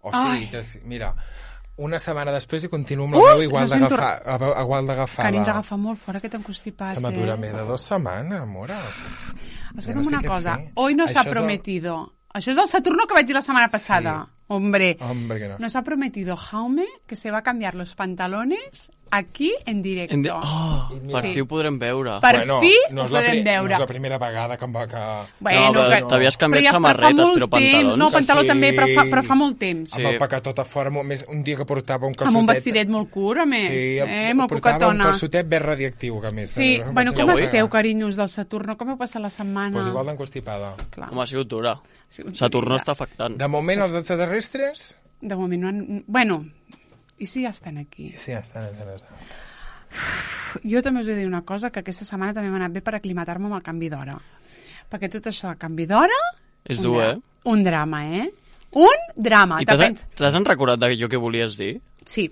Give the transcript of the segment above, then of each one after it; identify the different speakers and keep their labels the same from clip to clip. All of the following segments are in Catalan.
Speaker 1: O sigui, mira, una setmana després i continuo amb la veu igual d'agafada.
Speaker 2: Carinyo, agafa molt fora aquest encostipat,
Speaker 1: Que m'atura més de 2 setmanes, amor.
Speaker 2: Escolta'm una cosa, hoy no s'ha prometido... Això és del Saturno que vaig dir la setmana passada. Sí. Hombre, que no. Nos ha prometido Jaume que se va a cambiar los pantalones aquí en directo.
Speaker 3: Per fi ho podrem veure.
Speaker 2: Per fi ho podrem veure.
Speaker 1: No és la primera vegada que em va...
Speaker 3: T'havies canviat samarretes, però pantalons.
Speaker 2: No, pantaló també, però fa molt temps.
Speaker 1: Amb el pecat tot a fora, un dia que portava un calçotet...
Speaker 2: Amb un vestidet molt curt, a més.
Speaker 1: Sí,
Speaker 2: molt
Speaker 1: portava un calçotet ben radioactiu, que a més.
Speaker 2: Sí, bueno, com esteu, carinyos del Saturno? Com heu passat la setmana?
Speaker 1: Doncs igual d'encostipada.
Speaker 3: Home, ha sigut dura. Saturno està afectant.
Speaker 1: De moment, els extraterrestres...
Speaker 2: De moment no han... Bueno, i si ja estan aquí?
Speaker 1: Sí, ja estan els
Speaker 2: Jo també us he de dir una cosa, que aquesta setmana també m'ha anat bé per aclimatar-me amb el canvi d'hora. Perquè tot això de canvi d'hora...
Speaker 3: És dur,
Speaker 2: Un drama, Un drama.
Speaker 3: I t'has recordat d'allò que volies dir?
Speaker 2: Sí.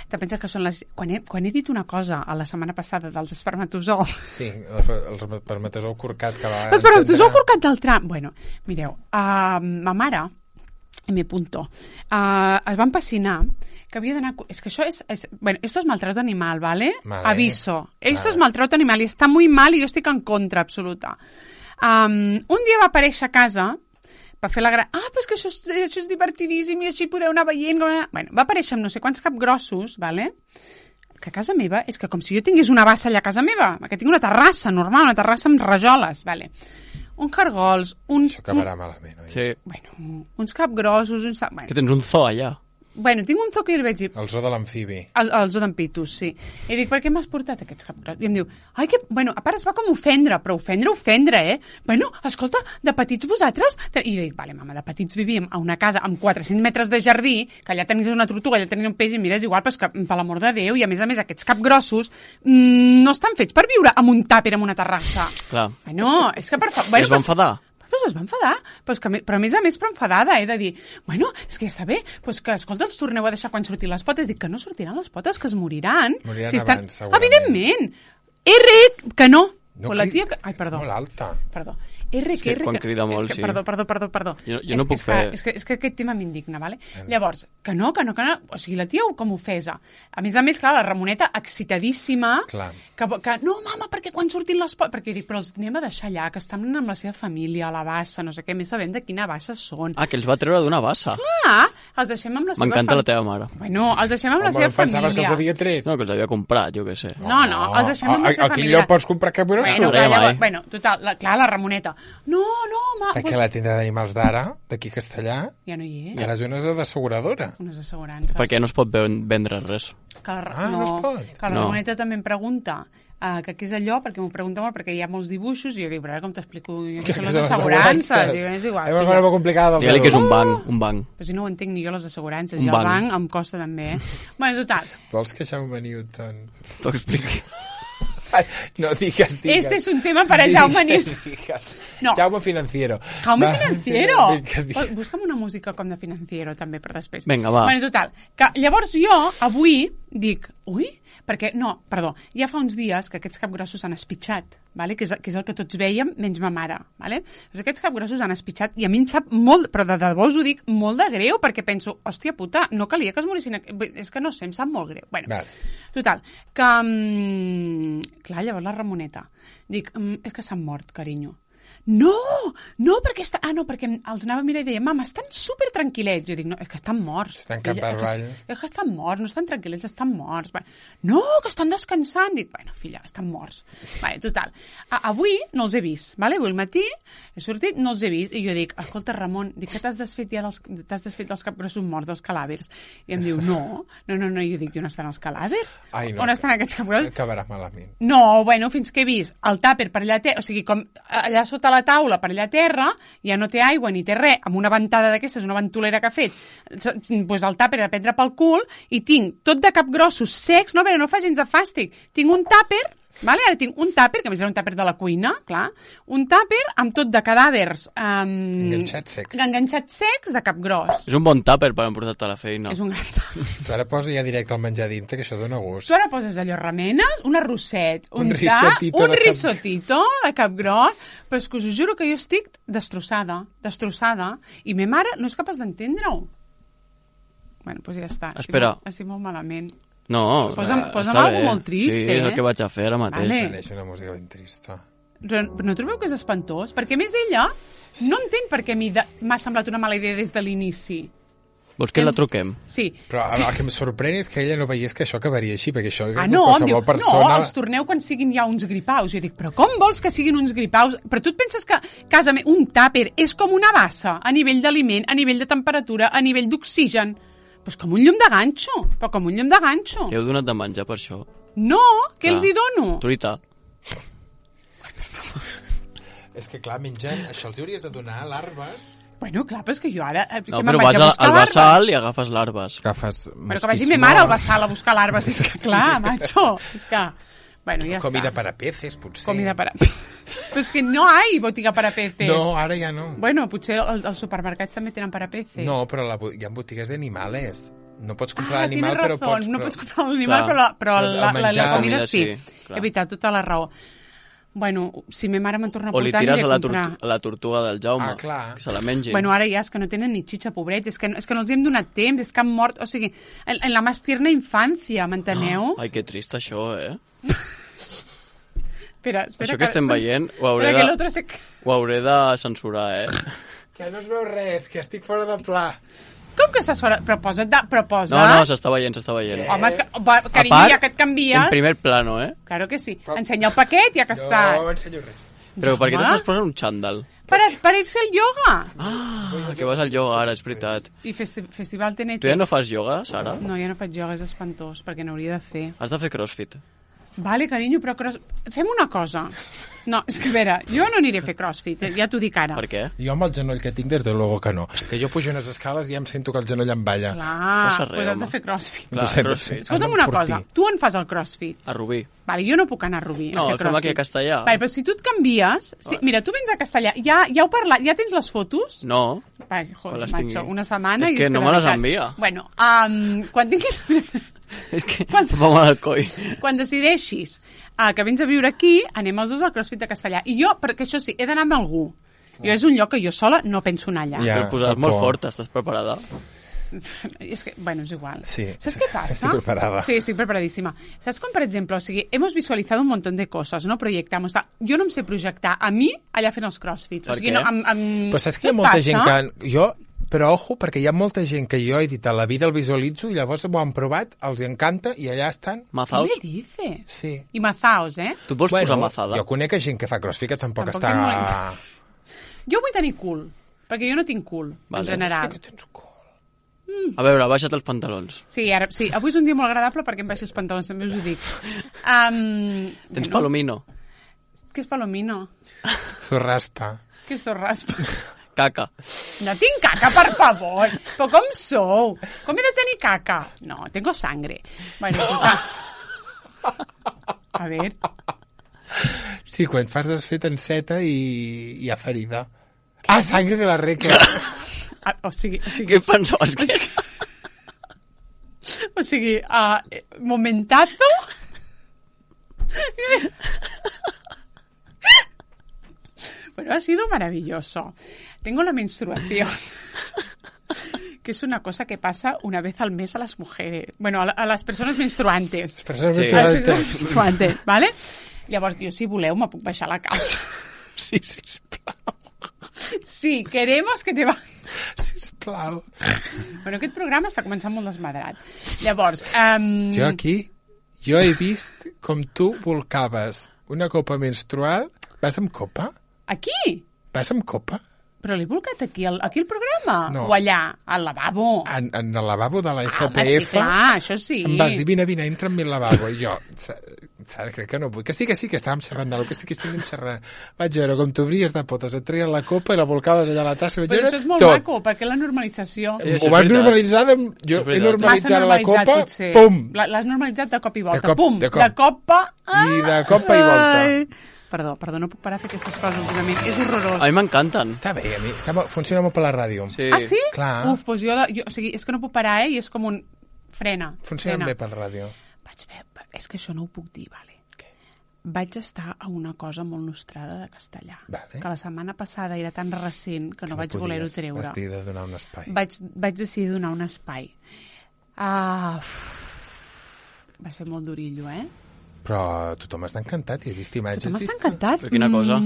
Speaker 2: Te penses que són les... Quan he dit una cosa a la setmana passada dels espermatozous...
Speaker 1: Sí, el espermatozou corcat que va...
Speaker 2: L'espermatozou corcat del tram... Bueno, mireu, ma mare... M. Es va empecinar que havia d'anar... És que això és... Bueno, esto es maltrato animal, ¿vale? Aviso. Esto es maltrato animal i està muy mal i jo estic en contra absoluta. Un dia va aparèixer a casa per fer la gran... però és que això és divertidíssim i així podeu anar veient... Bueno, va aparèixer amb no sé quants capgrossos, ¿vale? Que a casa meva és que com si jo tingués una bassa allà a casa meva, que tinc una terrassa normal, una terrassa amb rajoles, ¿vale? Uns cargols,
Speaker 1: Això acabarà malament, oi?
Speaker 3: Sí.
Speaker 2: Bueno, uns capgrossos... Bueno.
Speaker 3: Que tens un zoo allà.
Speaker 2: Bueno, tinc un zoo que jo li vaig dir...
Speaker 1: El zoo de l'amfibi.
Speaker 2: El zoo d'en Pitus, sí. I dic, per què m'has portat aquests capgrossos? I em diu, que... Bueno, a part es va com ofendre, però ofendre, Bueno, escolta, de petits vosaltres... I jo dic, vale, mama, de petits vivíem a una casa amb 400 metres de jardí, que allà tenies una tortuga, allà tenies un peix, i mira, és igual, però és que, per l'amor de Déu, i a més, aquests capgrossos no estan fets per viure amb un tàper en una terrassa.
Speaker 3: Clar.
Speaker 2: Bueno, és que per favor...
Speaker 3: Es va enfadar?
Speaker 2: Pues es va enfadar, però a més però enfadada, he de dir, bueno, és que ja està bé, pues que, escolta, els torneu a deixar quan surtin les potes. Dic que no sortiran les potes, que es moriran.
Speaker 1: Moriran abans, segurament.
Speaker 2: Evidentment. Que no.
Speaker 1: No,
Speaker 2: la tia... Ai, perdó.
Speaker 1: Molt alta.
Speaker 2: Perdó.
Speaker 3: Quan crida molt, sí.
Speaker 2: Perdó.
Speaker 3: Jo no puc fer...
Speaker 2: És que aquest tema m'indigna, ¿vale? Llavors, que no. O sigui, la tia com ofesa. A més, clar, la Ramoneta excitadíssima.
Speaker 1: Clar.
Speaker 2: Que no, mama, perquè quan surtin les potes... Perquè dic, però els anem a deixar allà, que estan amb la seva família, a la bassa, no sé què, més sabem de quina bassa són.
Speaker 3: Que els va treure d'una bassa.
Speaker 2: Clar, els deixem amb la seva família.
Speaker 3: M'encanta la teva mare.
Speaker 2: Bueno, els deixem amb la seva família.
Speaker 1: Pensaves que els havia tret?
Speaker 3: No, que els havia comprat, jo què sé.
Speaker 2: No, els deixem amb la seva família.
Speaker 1: Aquí lloc pots comprar cap
Speaker 2: Bueno, total, clar, la Ramoneta. No,
Speaker 1: perquè la tenda d'animals d'ara, d'aquí a Castellà,
Speaker 2: ja no hi és.
Speaker 1: Hi ha les zones d'asseguradora.
Speaker 2: Unes assegurances.
Speaker 3: Perquè no es pot vendre res.
Speaker 2: No
Speaker 1: es pot.
Speaker 2: Que la Ramoneta també em pregunta que què és allò, perquè m'ho pregunta molt, perquè hi ha molts dibuixos, i jo dic, però ara com t'explico què són les assegurances? És igual.
Speaker 1: És una cosa molt complicada.
Speaker 3: Digue-li que és un banc.
Speaker 2: Però si no ho entenc ni jo, les assegurances. I el banc em costa també, Bueno, total.
Speaker 1: Vols que Jaume Newton
Speaker 3: t'ho expliqui?
Speaker 1: No digas.
Speaker 2: Este es un tema para Jaume Newton.
Speaker 1: No. Jaume Financiero.
Speaker 2: Jaume Financiero. Busca'm una música com de Financiero, també, per després.
Speaker 3: Vinga, va.
Speaker 2: Bueno, total. Que llavors jo, avui, dic, perquè, ja fa uns dies que aquests capgrossos han espitxat, vale? que és el que tots vèiem, menys ma mare. Vale? Doncs aquests capgrossos han espitxat i a mi em sap molt, però de debò us ho dic, molt de greu, perquè penso, hòstia puta, no calia que es morissin... És que no sé, em sap molt greu. Bueno, total, que... clar, llavors la Ramoneta. Dic, és que s'han mort, carinyo. No, perquè perquè els anava a mirar i deia, mama, estan super tranquil·lets. Jo dic, no, és que estan morts.
Speaker 1: Estan cap per avall.
Speaker 2: És que estan morts, no estan tranquil·lets, estan morts. No, que estan descansant. Dic, bueno, filla, estan morts. Total. Avui no els he vist, vale? Avui al matí he sortit, no els he vist. I jo dic, escolta, Ramon, dic que t'has desfet dels capgrossos morts, dels calàvers. I em diu, no. Jo dic, on estan els calàvers? On estan aquests capgrossos?
Speaker 1: Acabarà malament.
Speaker 2: No, bueno, fins que he vist el tàper per allà, o sigui, com allà sota la taula per allà a terra, ja no té aigua ni té res, amb una ventada d'aquestes, una ventolera que ha fet, doncs el tàper a prendre pel cul, i tinc tot de capgrossos secs, no fa gens de fàstic, tinc un tàper, vale? Ara tinc un tàper, que a més era un tàper de la cuina, clar, un tàper amb tot de cadàvers enganxats secs de capgros.
Speaker 3: És un bon tàper per emportar-te a la feina.
Speaker 2: És un gran tàper.
Speaker 1: Tu ara posa ja directe el menjar dintre, que això dona gust.
Speaker 2: Tu ara poses allò remenes, un arrosset, un
Speaker 1: risotito
Speaker 2: de capgros, però és que us ho juro que jo estic destrossada, i ma mare no és capaç d'entendre-ho. doncs ja està.
Speaker 3: Espera.
Speaker 2: Estic molt malament.
Speaker 3: No,
Speaker 2: Posa'm alguna molt trist,
Speaker 3: Sí, és el que vaig a fer ara mateix.
Speaker 2: Vale.
Speaker 1: És una música ben trista.
Speaker 2: No trobeu que és espantós? Perquè, a més, ella no entén per què a mi m'ha semblat una mala idea des de l'inici.
Speaker 3: Vols que la truquem?
Speaker 2: Sí.
Speaker 1: Però el que em sorprèn és que ella no veiés que això acabaria així, perquè això
Speaker 2: no,
Speaker 1: qualsevol persona...
Speaker 2: No, els torneu quan siguin ja uns gripaus. Jo dic, però com vols que siguin uns gripaus? Però tu et penses que casa meva, un tàper és com una bassa a nivell d'aliment, a nivell de temperatura, a nivell d'oxigen. Pues com un llum de ganxo, però com un llum de ganxo.
Speaker 3: Heu donat de menjar per això?
Speaker 2: No, què els hi dono?
Speaker 3: Truita.
Speaker 1: És que, clar, menjant, això els hauries de donar larves...
Speaker 2: Bueno, clar, però és que jo ara...
Speaker 3: No, però vas al bassal i agafes larves.
Speaker 1: Agafes
Speaker 2: però que vagi me mare al bassal a buscar larves, és que clar, macho, és que... Bueno, ja
Speaker 1: comida
Speaker 2: està.
Speaker 1: para peces, potser.
Speaker 2: Comida para peces. Però és que no hay botiga para peces.
Speaker 1: No, ara ja no.
Speaker 2: Bueno, potser els supermercats també tenen para peces.
Speaker 1: No, però hi ha botigues d'animales. No pots comprar l'animal, però pots...
Speaker 2: No pots comprar l'animal, però la comida sí. He veritat, tota la raó. Bueno, si ma mare me'n torna a portar...
Speaker 3: O li tires a la tortuga del Jaume, que se la mengi.
Speaker 2: Bueno, ara ja és que no tenen ni xitxa, pobrets, és que no els hem donat temps, és que han mort, o sigui, en la més tierna infància, m'enteneu?
Speaker 3: Ai, que trist això,
Speaker 2: Espera
Speaker 3: això que estem veient ho hauré de censurar,
Speaker 1: Que no es veu res, que estic fora de pla.
Speaker 2: Com que estàs fora? Però posa...
Speaker 3: No, s'està veient.
Speaker 2: Home, és que, carinyo, ja que et canvies...
Speaker 3: En primer plano,
Speaker 2: Claro que sí. Ensenya el paquet, ja que estàs.
Speaker 1: No ensenyo res.
Speaker 3: Però per què t'estàs posant un xandall?
Speaker 2: Per ir-se al ioga.
Speaker 3: Que vas al ioga ara, és veritat.
Speaker 2: I festival TNT.
Speaker 3: Tu ja no fas ioga, Sara?
Speaker 2: No, ja no faig ioga, és espantós, perquè n'hauria de fer.
Speaker 3: Has de fer crossfit.
Speaker 2: Vale, carinyo, però fem una cosa. No, és que a veure, jo no aniré a fer crossfit, ja t'ho dic ara.
Speaker 3: Per què?
Speaker 1: Jo amb el genoll que tinc, des de luego que no. Que jo pujo unes escales i ja em sento que el genoll em balla.
Speaker 2: Clar, doncs has de fer crossfit.
Speaker 3: Clar, crossfit.
Speaker 2: Escolta'm una cosa, tu on fas el crossfit?
Speaker 3: A Rubí.
Speaker 2: Vale, jo no puc anar a Rubí
Speaker 3: no,
Speaker 2: a fer crossfit.
Speaker 3: No, aquí a Castellà.
Speaker 2: Vale, però si tu et canvies... Sí, mira, tu vens a Castellà, ja heu parlat, ja tens les fotos?
Speaker 3: No.
Speaker 2: Vai, joder, macho, una setmana...
Speaker 3: És que no me les envia.
Speaker 2: Bueno, quan tinguis...
Speaker 3: És que vam al coi.
Speaker 2: Quan decideixis que vens a viure aquí, anem els dos al CrossFit de Castellà. I jo, perquè això sí, he d'anar amb algú. Jo és un lloc que jo sola no penso anar allà.
Speaker 3: Ja, t'ho posat molt fort, estàs preparada?
Speaker 2: És que, bueno, és igual.
Speaker 1: Sí.
Speaker 2: ¿Sabes qué pasa?
Speaker 1: Estoy preparada.
Speaker 2: Sí, estoy preparadísima. ¿Sabes? Como, por ejemplo, o sigui, hemos visualizado un montón de cosas, ¿no? Proyectamos. Jo no em sé projectar a mi allà fent els crossfits.
Speaker 3: Per
Speaker 2: o sigui,
Speaker 3: què?
Speaker 2: No,
Speaker 1: però saps que hi ha molta gent que... Però ojo, perquè hi ha molta gent que jo he dit a la vida el visualitzo i llavors ho han provat, els encanta i allà estan.
Speaker 3: Mazaos?
Speaker 2: ¿Qué me dices?
Speaker 1: Sí.
Speaker 2: I mazaos,
Speaker 3: Tu vols posar mazada?
Speaker 1: Jo conec gent que fa crossfit que tampoc està...
Speaker 2: Jo vull tenir cul, perquè jo no tinc cul, en general.
Speaker 1: És que tens cul.
Speaker 3: A veure, baixa't els pantalons.
Speaker 2: Sí, avui és un dia molt agradable perquè em baixi els pantalons, també us ho dic.
Speaker 3: Tens palomino?
Speaker 2: Què és palomino?
Speaker 1: Zorraspa.
Speaker 2: Què és zorraspa?
Speaker 3: Caca.
Speaker 2: No tinc caca, per favor. Però com sou? Com he de tenir caca? No, tengo sangre. Bueno, a ver.
Speaker 1: Sí, quan fas desfet enceta i hi ha ferida. Ah, sangre de la reca.
Speaker 2: O sigui...
Speaker 3: Què pensaves que...
Speaker 2: O sigui, momentazo... Bueno, ha sido maravilloso. Tengo la menstruación, que es una cosa que pasa una vez al mes a las mujeres. Bueno, a las persones menstruantes.
Speaker 1: Les persones
Speaker 2: menstruantes, ¿vale? Llavors, jo, si voleu, me puc baixar a la casa.
Speaker 1: Sí, sisplau.
Speaker 2: Sí, queremos que te va...
Speaker 1: Sisplau.
Speaker 2: Bueno, aquest programa està començant molt desmadrat. Llavors...
Speaker 1: Jo he vist com tu volcaves una copa menstrual. Vas amb copa?
Speaker 2: Aquí?
Speaker 1: Vas amb copa?
Speaker 2: Però l'he volcat aquí al programa?
Speaker 1: No.
Speaker 2: O allà, al lavabo?
Speaker 1: En el lavabo de la SPF.
Speaker 2: Sí, clar, això sí.
Speaker 1: Em vas dir, vine, entra en mi lavabo. I jo, Sara, crec que no vull. Que sí, que estàvem xerrant d'alguna cosa, que estiguem xerrant. Vaig veure com t'obries de potes, et treien la copa i la volcaves allà a la tassa.
Speaker 2: Però això és molt maco, perquè la normalització...
Speaker 1: Sí, ho van normalitzar, jo he normalitzat la copa, pum!
Speaker 2: L'has normalitzat de cop i volta, pum! De copa
Speaker 1: i volta.
Speaker 2: Perdó, no puc parar de fer aquestes coses últimament. És horrorós.
Speaker 3: A mi m'encanten.
Speaker 1: Està bé, a mi. Funciona molt per la ràdio.
Speaker 3: Sí.
Speaker 2: Ah, sí?
Speaker 1: Clar.
Speaker 2: Uf, doncs jo, o sigui, és que no puc parar, i és com un... Frena.
Speaker 1: Funciona bé per la ràdio.
Speaker 2: És que això no ho puc dir, vale? Què? Vaig estar a una cosa molt nostrada de Castellà.
Speaker 1: Vale.
Speaker 2: Que la setmana passada era tan recent que no vaig voler-ho treure.
Speaker 1: Vaig decidir de donar un espai.
Speaker 2: Vaig decidir donar un espai. Va ser molt durillo,
Speaker 1: Però tothom està encantat, he vist imatges.
Speaker 2: Tothom està encantat?
Speaker 3: Per quina cosa?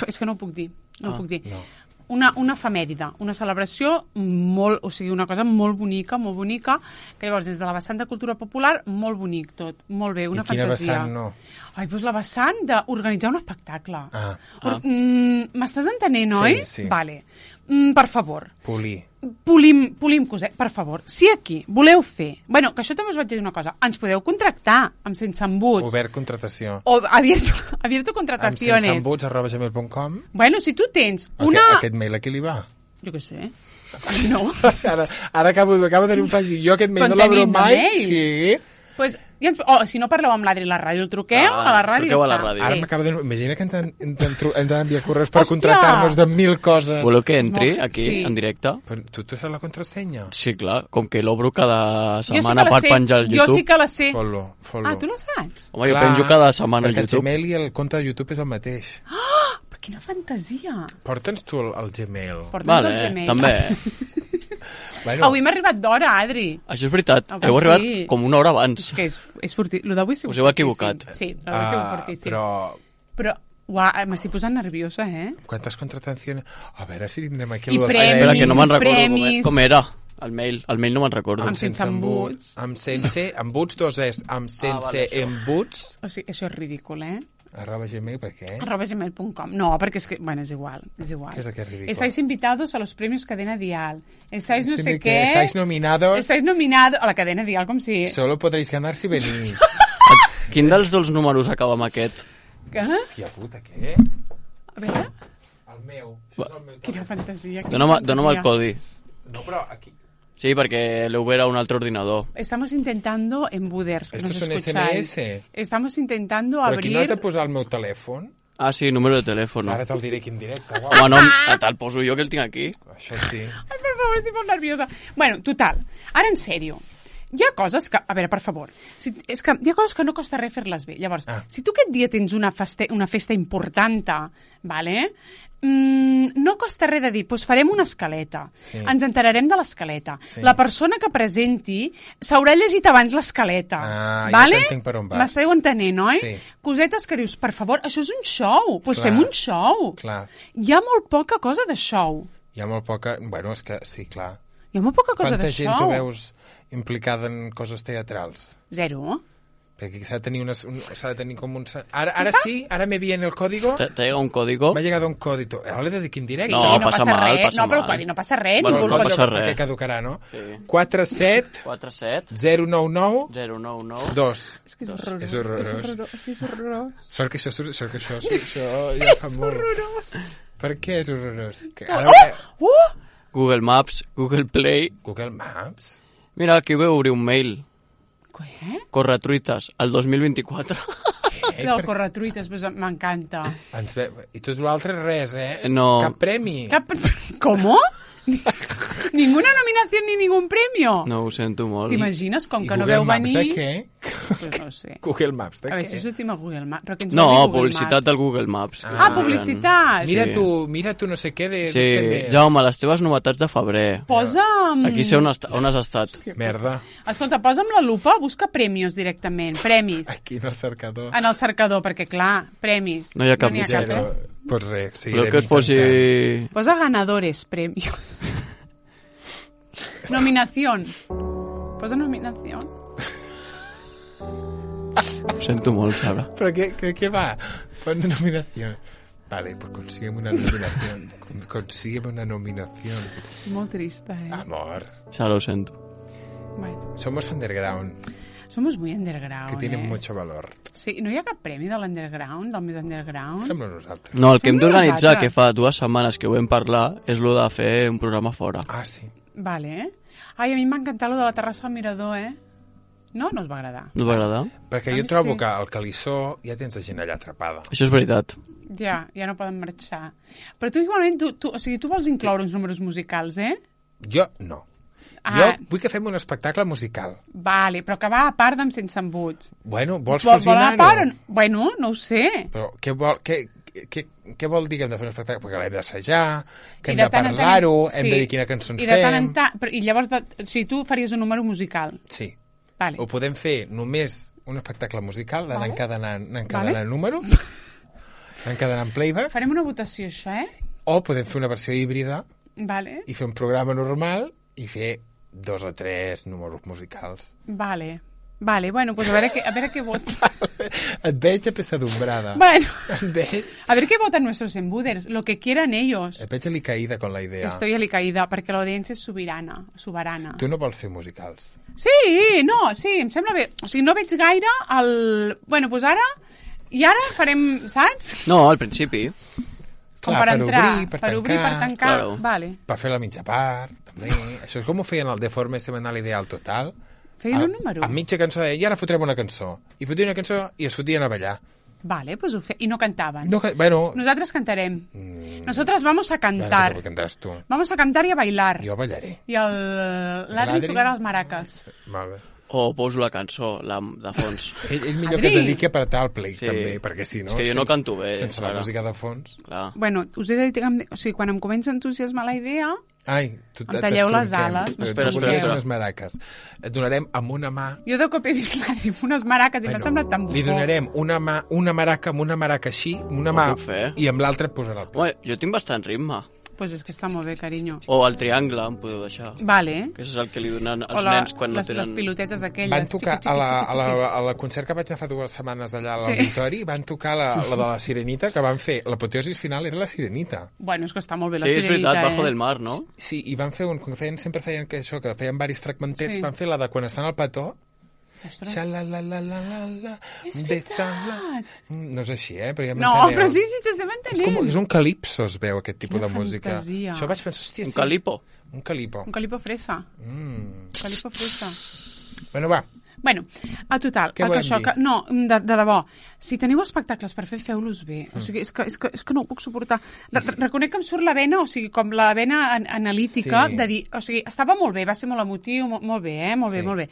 Speaker 2: És que no ho puc dir. No ho puc dir.
Speaker 1: No.
Speaker 2: Una efemèride, una celebració molt, o sigui, una cosa molt bonica, que llavors des de la vessant de cultura popular, molt bonic tot, molt bé, una fantasia.
Speaker 1: I quina vessant no?
Speaker 2: Ai, doncs la vessant d'organitzar un espectacle. M'estàs entenent, oi?
Speaker 1: Sí.
Speaker 2: Vale. Per favor.
Speaker 1: Polim
Speaker 2: coset, per favor. Si aquí voleu fer... Bueno, que això també us vaig dir una cosa. Ens podeu contractar amb Sense Embuts.
Speaker 1: Obert contratació.
Speaker 2: O abierto contrataciones.
Speaker 1: Amb senseembuts@gmail.com.
Speaker 2: Bueno, si tu tens una...
Speaker 1: Aquest mail a qui li va?
Speaker 2: Jo què sé. No.
Speaker 1: Ara acabo de tenir un flash. Jo aquest mail no l'obro mai. Sí.
Speaker 2: Pues, si no parleu amb l'Adri a la ràdio, el truqueu a la ràdio i ja està.
Speaker 1: Ara m'acaba de... Imagina que ens han enviat correus per contractar-nos de 1000 coses.
Speaker 3: Voleu que entri aquí, en directe?
Speaker 1: Però tu saps la contrasenya?
Speaker 3: Sí, clar, com que l'obro cada setmana per penjar al YouTube.
Speaker 2: Jo sí que la sé.
Speaker 1: Follow.
Speaker 2: Ah, tu la saps?
Speaker 3: Home, jo penjo cada setmana al YouTube.
Speaker 1: Perquè el Gmail i el compte de YouTube és el mateix.
Speaker 2: Però quina fantasia.
Speaker 1: Porta'ns tu el Gmail.
Speaker 2: Porta'ns el Gmail.
Speaker 3: També.
Speaker 2: Bueno. Avui m'ha arribat d'hora, Adri.
Speaker 3: Això és veritat. Heu arribat com una hora abans.
Speaker 2: És que és fortíssim. Lo d'avui
Speaker 3: us heu equivocat.
Speaker 2: Sí, l'avui sigut fortíssim.
Speaker 1: Però
Speaker 2: m'estic posant nerviosa,
Speaker 1: ¿Cuántas contrataciones? A veure si tindrem aquí...
Speaker 2: I premis,
Speaker 3: que no me'n recordo com era. El mail no me'n recordo.
Speaker 2: Amb sense embuts.
Speaker 1: Amb sense embuts, dos és. Amb sense embuts.
Speaker 2: O sigui, això és ridícul,
Speaker 1: @gmail, ¿por qué?
Speaker 2: @gmail.com. No, porque es que, bueno, es igual.
Speaker 1: ¿Qué es aquel ridículo?
Speaker 2: Estáis invitados a los premios Cadena Dial. Estáis no sé qué.
Speaker 1: Estáis nominados.
Speaker 2: Estáis nominados a la Cadena Dial, com si...
Speaker 1: Solo podréis ganar si venís.
Speaker 3: Quin dels dos números acaba amb aquest?
Speaker 2: Què?
Speaker 1: Hòstia puta, què?
Speaker 2: A veure.
Speaker 1: El meu. Això és el meu.
Speaker 2: Quina fantasia.
Speaker 3: Dóna'm el codi.
Speaker 1: No, però aquí...
Speaker 3: Sí, perquè l'heu ver a un altre ordinador.
Speaker 2: Estamos intentando en Buders, que
Speaker 1: ¿Estos
Speaker 2: nos
Speaker 1: son
Speaker 2: escucháis.
Speaker 1: SMS?
Speaker 2: Estamos intentando
Speaker 1: Però
Speaker 2: abrir...
Speaker 1: aquí no has de posar el meu telèfon?
Speaker 3: Ah, sí, número de telèfon.
Speaker 1: Ara te'l diré aquí en directe.
Speaker 3: Home, no, te'l poso jo, que el tinc aquí.
Speaker 1: Això sí.
Speaker 2: Ai, per favor, estic molt nerviosa. Bueno, total. Ara, en sèrio. Hi ha coses que... A veure, per favor. És que hi ha coses que no costa res fer-les bé. Llavors, si tu aquest dia tens una festa important, vale? No costa res de dir, doncs farem una escaleta. Sí. Ens enterarem de l'escaleta. Sí. La persona que presenti s'haurà llegit abans l'escaleta. Vale?
Speaker 1: Ja entenc per on vas.
Speaker 2: M'esteu entenent, oi?
Speaker 1: Sí.
Speaker 2: Cosetes que dius, per favor, això és un show. Doncs fem un show.
Speaker 1: Clar.
Speaker 2: Hi ha molt poca cosa de show.
Speaker 1: Hi ha molt poca... Bueno, és que sí, clar.
Speaker 2: Hi ha molt poca cosa de show.
Speaker 1: Quanta gent tu veus implicada en coses teatrals?
Speaker 2: Zero.
Speaker 1: Perquè s'ha de tenir com un... Ara sí, ara me viene el código.
Speaker 3: ¿Te llega un código?
Speaker 1: M'ha llegat un código. Ara l'he de dir en directe.
Speaker 3: No, passa mal, passa
Speaker 2: mal. No, però el codi no passa res.
Speaker 3: Bueno, no passa res.
Speaker 1: Perquè caducarà, no?
Speaker 3: Sí.
Speaker 1: 47 099
Speaker 3: 099
Speaker 1: 2.
Speaker 2: És que és horrorós.
Speaker 1: És horrorós.
Speaker 2: És horrorós.
Speaker 1: Sort que això ja fa molt.
Speaker 2: Horrorós.
Speaker 1: Per què és horrorós?
Speaker 3: Google Maps, Google Play...
Speaker 1: Google Maps?
Speaker 3: Mira, aquí veu obrir un mail.
Speaker 2: Què?
Speaker 3: Corretruites, el 2024.
Speaker 2: El corretruites, pues, m'encanta.
Speaker 1: I tot l'altre res,
Speaker 3: No.
Speaker 1: Cap premi.
Speaker 2: ¿Cómo? Ninguna nominación ni ningún premio.
Speaker 3: No, ho sento molt.
Speaker 2: T'imagines, com que no veu venir...
Speaker 1: I Google Maps de què?
Speaker 2: Pues no sé.
Speaker 1: Google Maps de què?
Speaker 2: A veure si sortim a Google Maps. Però que ens
Speaker 3: No,
Speaker 2: vol dir Google
Speaker 3: publicitat
Speaker 2: Maps.
Speaker 3: del Google Maps.
Speaker 2: Publicitat!
Speaker 1: Mira tu no sé què
Speaker 3: Sí, Jaume, les teves novetats de febrer.
Speaker 2: Posa'm...
Speaker 3: Aquí sé on has estat.
Speaker 1: Merda.
Speaker 2: Escolta, posa'm la lupa, busca premis directament. Premis.
Speaker 1: Aquí en el cercador.
Speaker 2: En el cercador, perquè clar, premis.
Speaker 3: No hi ha cap
Speaker 1: Pues res,
Speaker 3: Però que es posi...
Speaker 2: Posa ganadores, premio. Nominación. Posa nominación.
Speaker 3: Ho sento molt, Sara.
Speaker 1: Però què va? Pon nominació. Vale, pues consígueme una nominación. Consígueme una nominación.
Speaker 2: Molt trista,
Speaker 1: Amor.
Speaker 3: Sara, ho sento.
Speaker 2: Bueno.
Speaker 1: Somos underground.
Speaker 2: Somos muy underground,
Speaker 1: Que tienen mucho valor.
Speaker 2: Sí, no hi ha cap premi de l'underground, del més underground?
Speaker 1: Fem-lo nosaltres.
Speaker 3: No, el que hem d'organitzar, que fa 2 setmanes que ho vam parlar, és lo de fer un programa fora.
Speaker 1: Ah, sí.
Speaker 2: Vale. Ai, a mi m'ha encantat lo de la terrassa al mirador, No? No us va agradar?
Speaker 3: No us va agradar?
Speaker 1: Perquè jo trobo que al Calissó ja tens la gent allà atrapada.
Speaker 3: Això és veritat.
Speaker 2: Ja no poden marxar. Però tu igualment, o sigui, tu vols incloure uns números musicals,
Speaker 1: Jo no. Jo vull que fem un espectacle musical.
Speaker 2: Vale, però que va a part d'Amb Sense Embuts.
Speaker 1: Bueno, vols fusionar-ho?
Speaker 2: Bueno, no ho sé.
Speaker 1: Però què vol... què vol dir que hem de fer un espectacle? Perquè l'hem d'assajar, que hem de parlar-ho, hem de dir quina cançó ens fem...
Speaker 2: I llavors, o sigui, tu faries un número musical.
Speaker 1: Sí.
Speaker 2: Vale.
Speaker 1: Ho podem fer només un espectacle musical, d'anar encadenant números, encadenant playback.
Speaker 2: Farem una votació, això,
Speaker 1: O podem fer una versió híbrida
Speaker 2: i
Speaker 1: fer un programa normal i fer 2 o 3 números musicals.
Speaker 2: Vale, bueno, pues a veure què vota.
Speaker 1: Et veig apesadumbrada.
Speaker 2: Bueno,
Speaker 1: veig...
Speaker 2: a ver qué votan nuestros embuders, lo que quieran ellos.
Speaker 1: Et veig alicaïda con la idea.
Speaker 2: Estoy alicaïda, perquè l'audiència és soberana.
Speaker 1: Tu no vols fer musicals?
Speaker 2: Sí, em sembla bé. O sigui, no veig gaire el... Bueno, doncs ara... I ara farem, saps?
Speaker 3: No, al principi.
Speaker 2: Clar, per entrar, per obrir, per tancar.
Speaker 3: Claro.
Speaker 2: Vale.
Speaker 1: Per fer la mitja part, també. Això és com ho feien el Deforme Semanal Ideal Total.
Speaker 2: Feien un número.
Speaker 1: A mitja cançó deia, i ara fotrem una cançó. I fotien una cançó i es fotien a ballar.
Speaker 2: Vale, pues ho I no cantaven.
Speaker 1: Bueno...
Speaker 2: Nosotros cantarem. Nosotras vamos a cantar.
Speaker 1: Bueno, cantaràs tu.
Speaker 2: Vamos a cantar y a bailar.
Speaker 1: Jo ballaré.
Speaker 2: I l'Adri tocarà els maracas.
Speaker 1: Molt bé.
Speaker 3: O poso la cançó, de fons.
Speaker 1: Ell millor que es dediqui a apretar el play, també, perquè si no...
Speaker 3: És que jo no canto bé.
Speaker 1: Sense la música de fons...
Speaker 3: Clar.
Speaker 2: Bueno, us he de dir que... O sigui, quan em comença a entusiasmar la idea...
Speaker 1: Ai,
Speaker 2: em talleu les ales.
Speaker 1: Espera. Unes maraques. Et donarem amb una mà...
Speaker 2: Jo de cop he vist l'Adri amb unes maraques i m'ha semblat tan bufó.
Speaker 1: Li donarem una maraca amb una maraca així, una mà, i amb l'altra et posarà el play.
Speaker 3: Jo tinc bastant ritme.
Speaker 2: Pues és que està molt bé, carinyo.
Speaker 3: O el triangle, em podeu deixar.
Speaker 2: Vale.
Speaker 3: Que és el que li donen als nens quan no tenen...
Speaker 2: Les pilotetes aquelles.
Speaker 1: Van tocar a la concert que vaig anar fa 2 setmanes allà a l'auditori, van tocar la de la Sirenita, que van fer... L'apoteosi final era la Sirenita.
Speaker 2: Bueno, és que està molt bé la Sirenita,
Speaker 3: Sí, és veritat, Bajo del Mar, no?
Speaker 1: Sí, i van fer sempre feien que feien varis fragmentets, van fer la de quan estan al petó, Xa-la-la-la-la-la-la.
Speaker 2: És veritat.
Speaker 1: No és així, però ja
Speaker 2: m'enteneu. No, però sí, t'estem entenent.
Speaker 1: És un calipso, es veu, aquest tipus de música.
Speaker 2: Fantasia.
Speaker 1: Això vaig pensar, hòstia,
Speaker 3: Un calipo.
Speaker 1: Un calipo.
Speaker 2: Un calipo fresa. Calipo fresa.
Speaker 1: Bueno, va.
Speaker 2: Bueno, a total,
Speaker 1: què volem dir?
Speaker 2: No, de debò, si teniu espectacles per fer, feu-los bé. O sigui, és que no ho puc suportar. Reconec que em surt la vena, o sigui, com la vena analítica, de dir, o sigui, estava molt bé, va ser molt emotiu, molt bé, molt bé.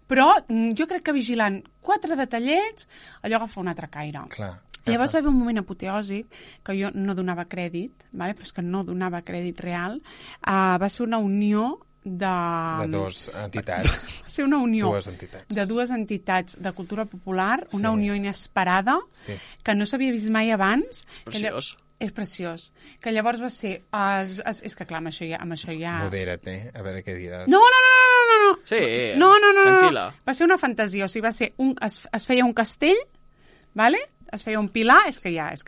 Speaker 2: Però jo crec que vigilant 4 detallets, allò agafa un altre caire.
Speaker 1: Clar.
Speaker 2: Llavors va haver un moment apoteòsic que jo no donava crèdit, però és que no donava crèdit real. Va ser una unió de
Speaker 1: 2 entitats.
Speaker 2: Va ser una unió
Speaker 1: de
Speaker 2: 2 entitats de cultura popular, una unió inesperada, que no s'havia vist mai abans.
Speaker 3: Preciós.
Speaker 2: És preciós. Que llavors va ser... És que clar, amb això ja...
Speaker 1: Modera't, a veure què diràs.
Speaker 2: No.
Speaker 3: Sí,
Speaker 2: no.
Speaker 3: Tranquil·la.
Speaker 2: Va ser una fantasia, o sigui, va ser es feia un castell, vale? Es feia un pilar,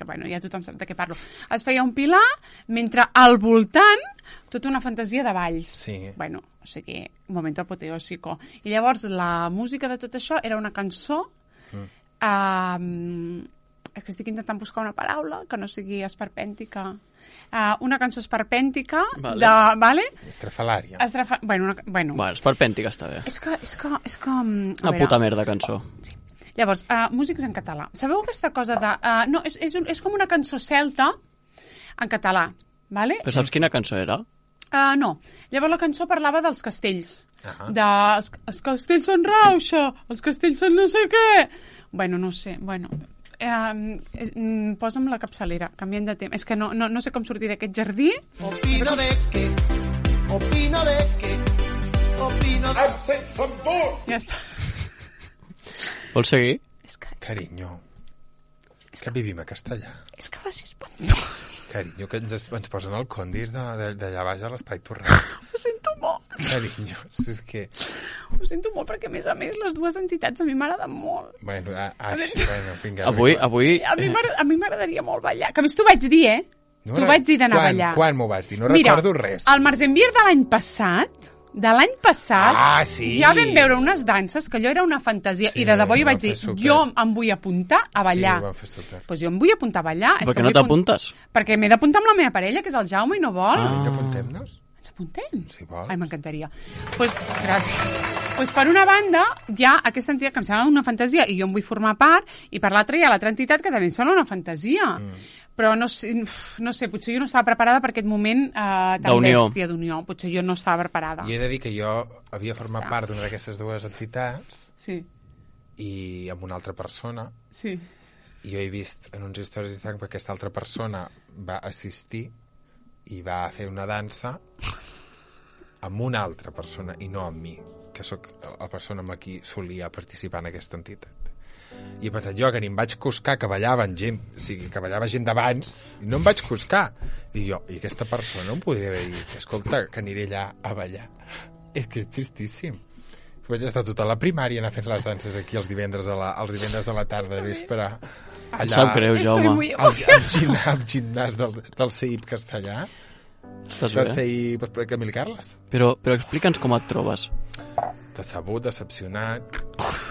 Speaker 2: bueno, ja tothom sap de què parlo. Es feia un pilar, mentre al voltant tota una fantasia de balls.
Speaker 1: Sí.
Speaker 2: Bueno, o sigui, un moment apoteòsico. I llavors la música de tot això era una cançó... és que estic intentant buscar una paraula que no sigui esperpèntica. Una cançó esperpèntica
Speaker 3: vale.
Speaker 1: Estrafalària.
Speaker 2: Bueno,
Speaker 3: esperpèntica està bé.
Speaker 2: És que
Speaker 3: una puta merda cançó.
Speaker 2: Sí. Llavors, músics en català. Sabeu aquesta cosa de... no, és com una cançó celta en català, vale?
Speaker 3: Però saps quina cançó era?
Speaker 2: No. Llavors la cançó parlava dels castells. Els castells són rauxa, els castells són no sé què. Bueno, no sé, posa'm la capçalera, canviem de tema. És que no sé com sortir d'aquest jardí.
Speaker 4: Opino de que... Absent some votes!
Speaker 2: Ja està.
Speaker 3: Vols seguir?
Speaker 1: Carinyo, que vivim a Castellà.
Speaker 2: És que va ser espantós.
Speaker 1: Carinyo, que ens posen el condis d'allà baix a l'Espai Torrent.
Speaker 2: Ho sento molt.
Speaker 1: Carinyo, és que...
Speaker 2: Ho sento molt perquè, a més, les 2 entitats a mi m'agraden molt.
Speaker 1: Bueno, vinga.
Speaker 3: Avui...
Speaker 2: A mi m'agradaria molt ballar. Que a més t'ho vaig dir, T'ho vaig dir d'anar a ballar.
Speaker 1: Quan m'ho vas dir? No recordo res.
Speaker 2: Al Marzenbier de l'any passat... ja vam veure unes danses que allò era una fantasia i de debò jo vaig dir, jo em vull apuntar a ballar.
Speaker 1: Sí, ho van fer super.
Speaker 2: Doncs jo em vull apuntar a ballar.
Speaker 3: Per què no t'apuntes?
Speaker 2: Perquè m'he d'apuntar amb la meva parella, que és el Jaume, i no vol.
Speaker 1: Vinga, apuntem-nos.
Speaker 2: Ens apuntem?
Speaker 1: Si vols.
Speaker 2: Ai, m'encantaria. Doncs gràcies. Doncs per una banda hi ha aquesta entitat que em sembla una fantasia i jo en vull formar part, i per l'altra hi ha l'altra entitat que també em sembla una fantasia. Però no sé, potser jo no estava preparada per aquest moment tan bèstia d'unió. Potser jo no estava preparada.
Speaker 1: I he de dir que jo havia format part d'una d'aquestes 2 entitats
Speaker 2: i
Speaker 1: amb una altra persona.
Speaker 2: Sí.
Speaker 1: jo he vist en uns històries d'Instagram que aquesta altra persona va assistir i va fer una dansa amb una altra persona i no amb mi, que sóc la persona amb la qui solia participar en aquesta entitat. I he pensat jo que ni em vaig coscar que ballaven gent, o sigui, que ballava gent d'abans, i no em vaig coscar. I aquesta persona em podria haver dit, escolta, que aniré allà a ballar. És que és tristíssim. Vaig estar tota la primària anar fent les danses aquí els divendres de la tarda de vespre.
Speaker 3: Em sap greu, Jaume.
Speaker 1: Al gimnàs del CEIP que està allà.
Speaker 3: Estàs
Speaker 1: Del
Speaker 3: bé?
Speaker 1: CEIP Camil Carles.
Speaker 3: Però explica'ns com et trobes.
Speaker 1: Decebut, decepcionat,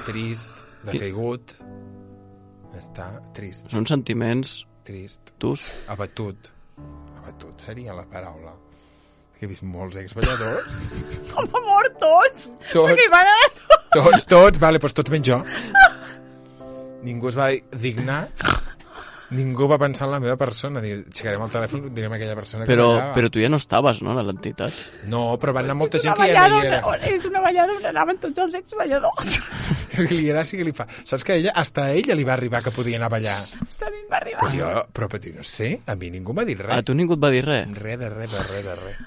Speaker 1: trist, decaigut. Està trist.
Speaker 3: Són sentiments
Speaker 1: Trist.
Speaker 3: tus?
Speaker 1: Abatut. Abatut seria la paraula. He vist molts exballadors.
Speaker 2: Com ha mort tots?
Speaker 1: Tots.
Speaker 2: Perquè hi van anar
Speaker 1: Tots, vale, doncs tots menys jo. Ningú es va dignar, ningú va pensar en la meva persona. Aixecarem el telèfon, direm a aquella persona que ballava.
Speaker 3: Però tu ja no estaves, no, a l'entitat?
Speaker 1: No, però van anar molta gent que ja no hi era.
Speaker 2: És una ballada on anaven tots els exballadors.
Speaker 1: Que li agrada, sí que li fa. Saps que hasta a ella li va arribar que podia anar a ballar.
Speaker 2: Hasta a mi em va arribar.
Speaker 1: Però no sé, a mi ningú m'ha dit res.
Speaker 3: A tu ningú et va dir res?
Speaker 1: Res de res.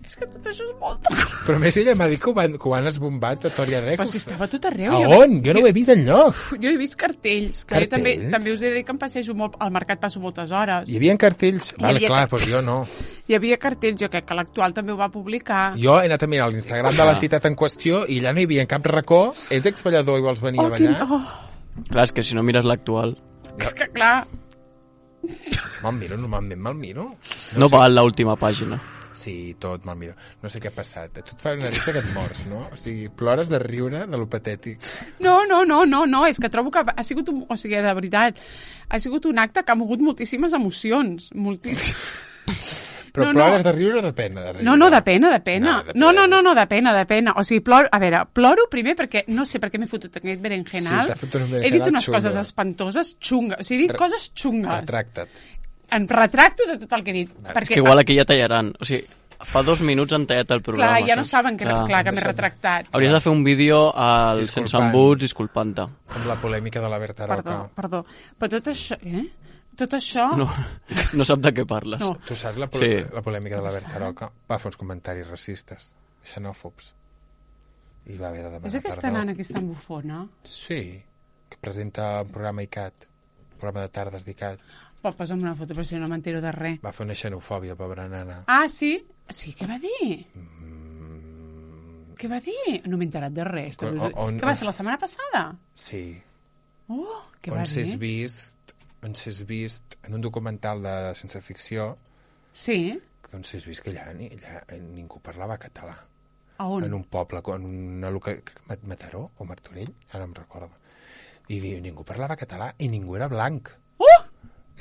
Speaker 2: És que tot això és molt...
Speaker 1: Però a més ella m'ha dit que ho han esbombat a Tòria Rec.
Speaker 2: Però si estava tot arreu.
Speaker 1: A on? Jo no ho he vist enlloc.
Speaker 2: Jo he vist cartells. Que
Speaker 1: Cartells?
Speaker 2: Jo també us he dit que em passejo molt... Al mercat passo moltes hores.
Speaker 1: Hi havia cartells? Vale,
Speaker 2: havia
Speaker 1: clar, doncs jo no.
Speaker 2: Hi havia cartells, jo crec que l'actual també ho va publicar.
Speaker 1: Jo he anat a mirar l'Instagram de l'entitat en qüestió i allà no hi havia en cap racó. Ets exballador i vols venir a ballar?
Speaker 3: Clar, és que si no mires l'actual...
Speaker 2: És que clar...
Speaker 1: Me'l miro, normalment me'l miro.
Speaker 3: No val l'última pàgina.
Speaker 1: Sí, tot me'l miro. No sé què ha passat. A tu et fa una risa que et mors, no? O sigui, plores de riure de lo patètic.
Speaker 2: No, és que trobo que ha sigut o sigui, de veritat, ha sigut un acte que ha mogut moltíssimes emocions, moltíssimes.
Speaker 1: Però plores de riure o de pena? De riure?
Speaker 2: No, de pena. No, de pena. O sigui, ploro primer perquè, no sé per què m'he fotut aquest berenjenal.
Speaker 1: Sí, t'ha fotut un berenjenal
Speaker 2: he dit unes
Speaker 1: xungo.
Speaker 2: coses espantoses, xungues. O sigui, he dit coses xungues.
Speaker 1: Retracta't.
Speaker 2: Em retracto de tot el que he dit.
Speaker 3: És que igual aquí ja tallaran. O sigui, fa 2 minuts han tallat el programa.
Speaker 2: Clar, ja no
Speaker 3: saps?
Speaker 2: saben que m'he retractat.
Speaker 3: Hauries de fer un vídeo al Sense Embuts disculpant-te.
Speaker 1: Amb la polèmica de la Berta Roca.
Speaker 2: Perdó. Però tot això... Tot això...
Speaker 3: No sap de què parles.
Speaker 2: No.
Speaker 1: Tu saps la polèmica de la Berta Roca? Va fer uns comentaris racistes, xenòfobs. I va haver de demanar
Speaker 2: És aquesta nana que és tan bufona?
Speaker 1: Sí, que presenta un programa ICAT, un programa de tardes d'ICAT.
Speaker 2: Pot posa'm una foto, però si no m'entero de res.
Speaker 1: Va fer una xenofòbia, pobra nana.
Speaker 2: Ah, sí? Sí, què va dir? Què va dir? No m'he enterat de res. Què va ser la setmana passada?
Speaker 1: Sí.
Speaker 2: Què va dir?
Speaker 1: On s'és vist en un documental de ciència ficció.
Speaker 2: Sí?
Speaker 1: On s'és vist que allà ningú parlava català.
Speaker 2: A on?
Speaker 1: En un poble, en una localitat... Mataró o Martorell? Ara em recordo. I ningú parlava català i ningú era blanc.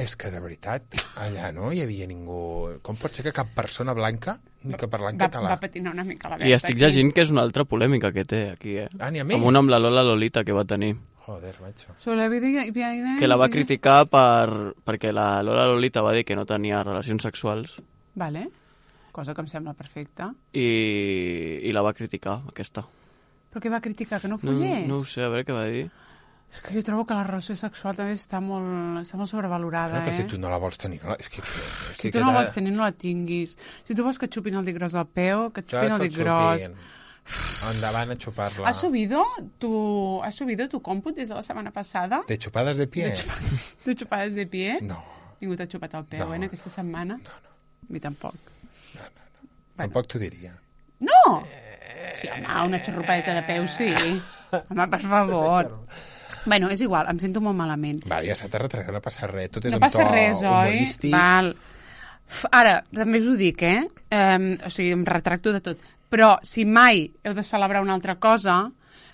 Speaker 1: És que, de veritat, allà no hi havia ningú... Com pot ser que cap persona blanca ni que parlant català?
Speaker 2: Va patinar una mica la Berta.
Speaker 3: I estic llegint que és una altra polèmica que té aquí,
Speaker 1: Ah, n'hi ha més?
Speaker 3: Com una amb la Lola Lolita que va tenir.
Speaker 1: Joder, macho.
Speaker 3: Que la va criticar perquè la Lola Lolita va dir que no tenia relacions sexuals.
Speaker 2: Vale. Cosa que em sembla perfecta.
Speaker 3: I la va criticar, aquesta.
Speaker 2: Però què va criticar? Que no follés?
Speaker 3: No ho sé, a veure què va dir.
Speaker 2: És que jo trobo que la relació sexual també està molt sobrevalorada,
Speaker 1: Però que si tu no la vols tenir...
Speaker 2: Si tu no la vols tenir, no la tinguis. Si tu vols que et xupin el dit gros del peu, que et xupin el dit gros.
Speaker 1: Endavant a xupar-la.
Speaker 2: ¿Has subido tu còmput des de la setmana passada?
Speaker 1: ¿De chupadas de pie?
Speaker 2: De xupades de pie?
Speaker 1: No.
Speaker 2: Ningú t'ha xupat el peu, en aquesta setmana?
Speaker 1: No.
Speaker 2: A mi tampoc.
Speaker 1: No. Tampoc t'ho diria.
Speaker 2: No! Sí, home, una xarrupadeta de peu, sí. Home, per favor. Bueno, és igual, em sento molt malament.
Speaker 1: Va, ja està, no passa res. Tot és
Speaker 2: no
Speaker 1: un
Speaker 2: passa
Speaker 1: to
Speaker 2: res, oi?
Speaker 1: humorístic.
Speaker 2: Val. Ara, també us ho dic, o sigui, em retracto de tot. Però si mai heu de celebrar una altra cosa,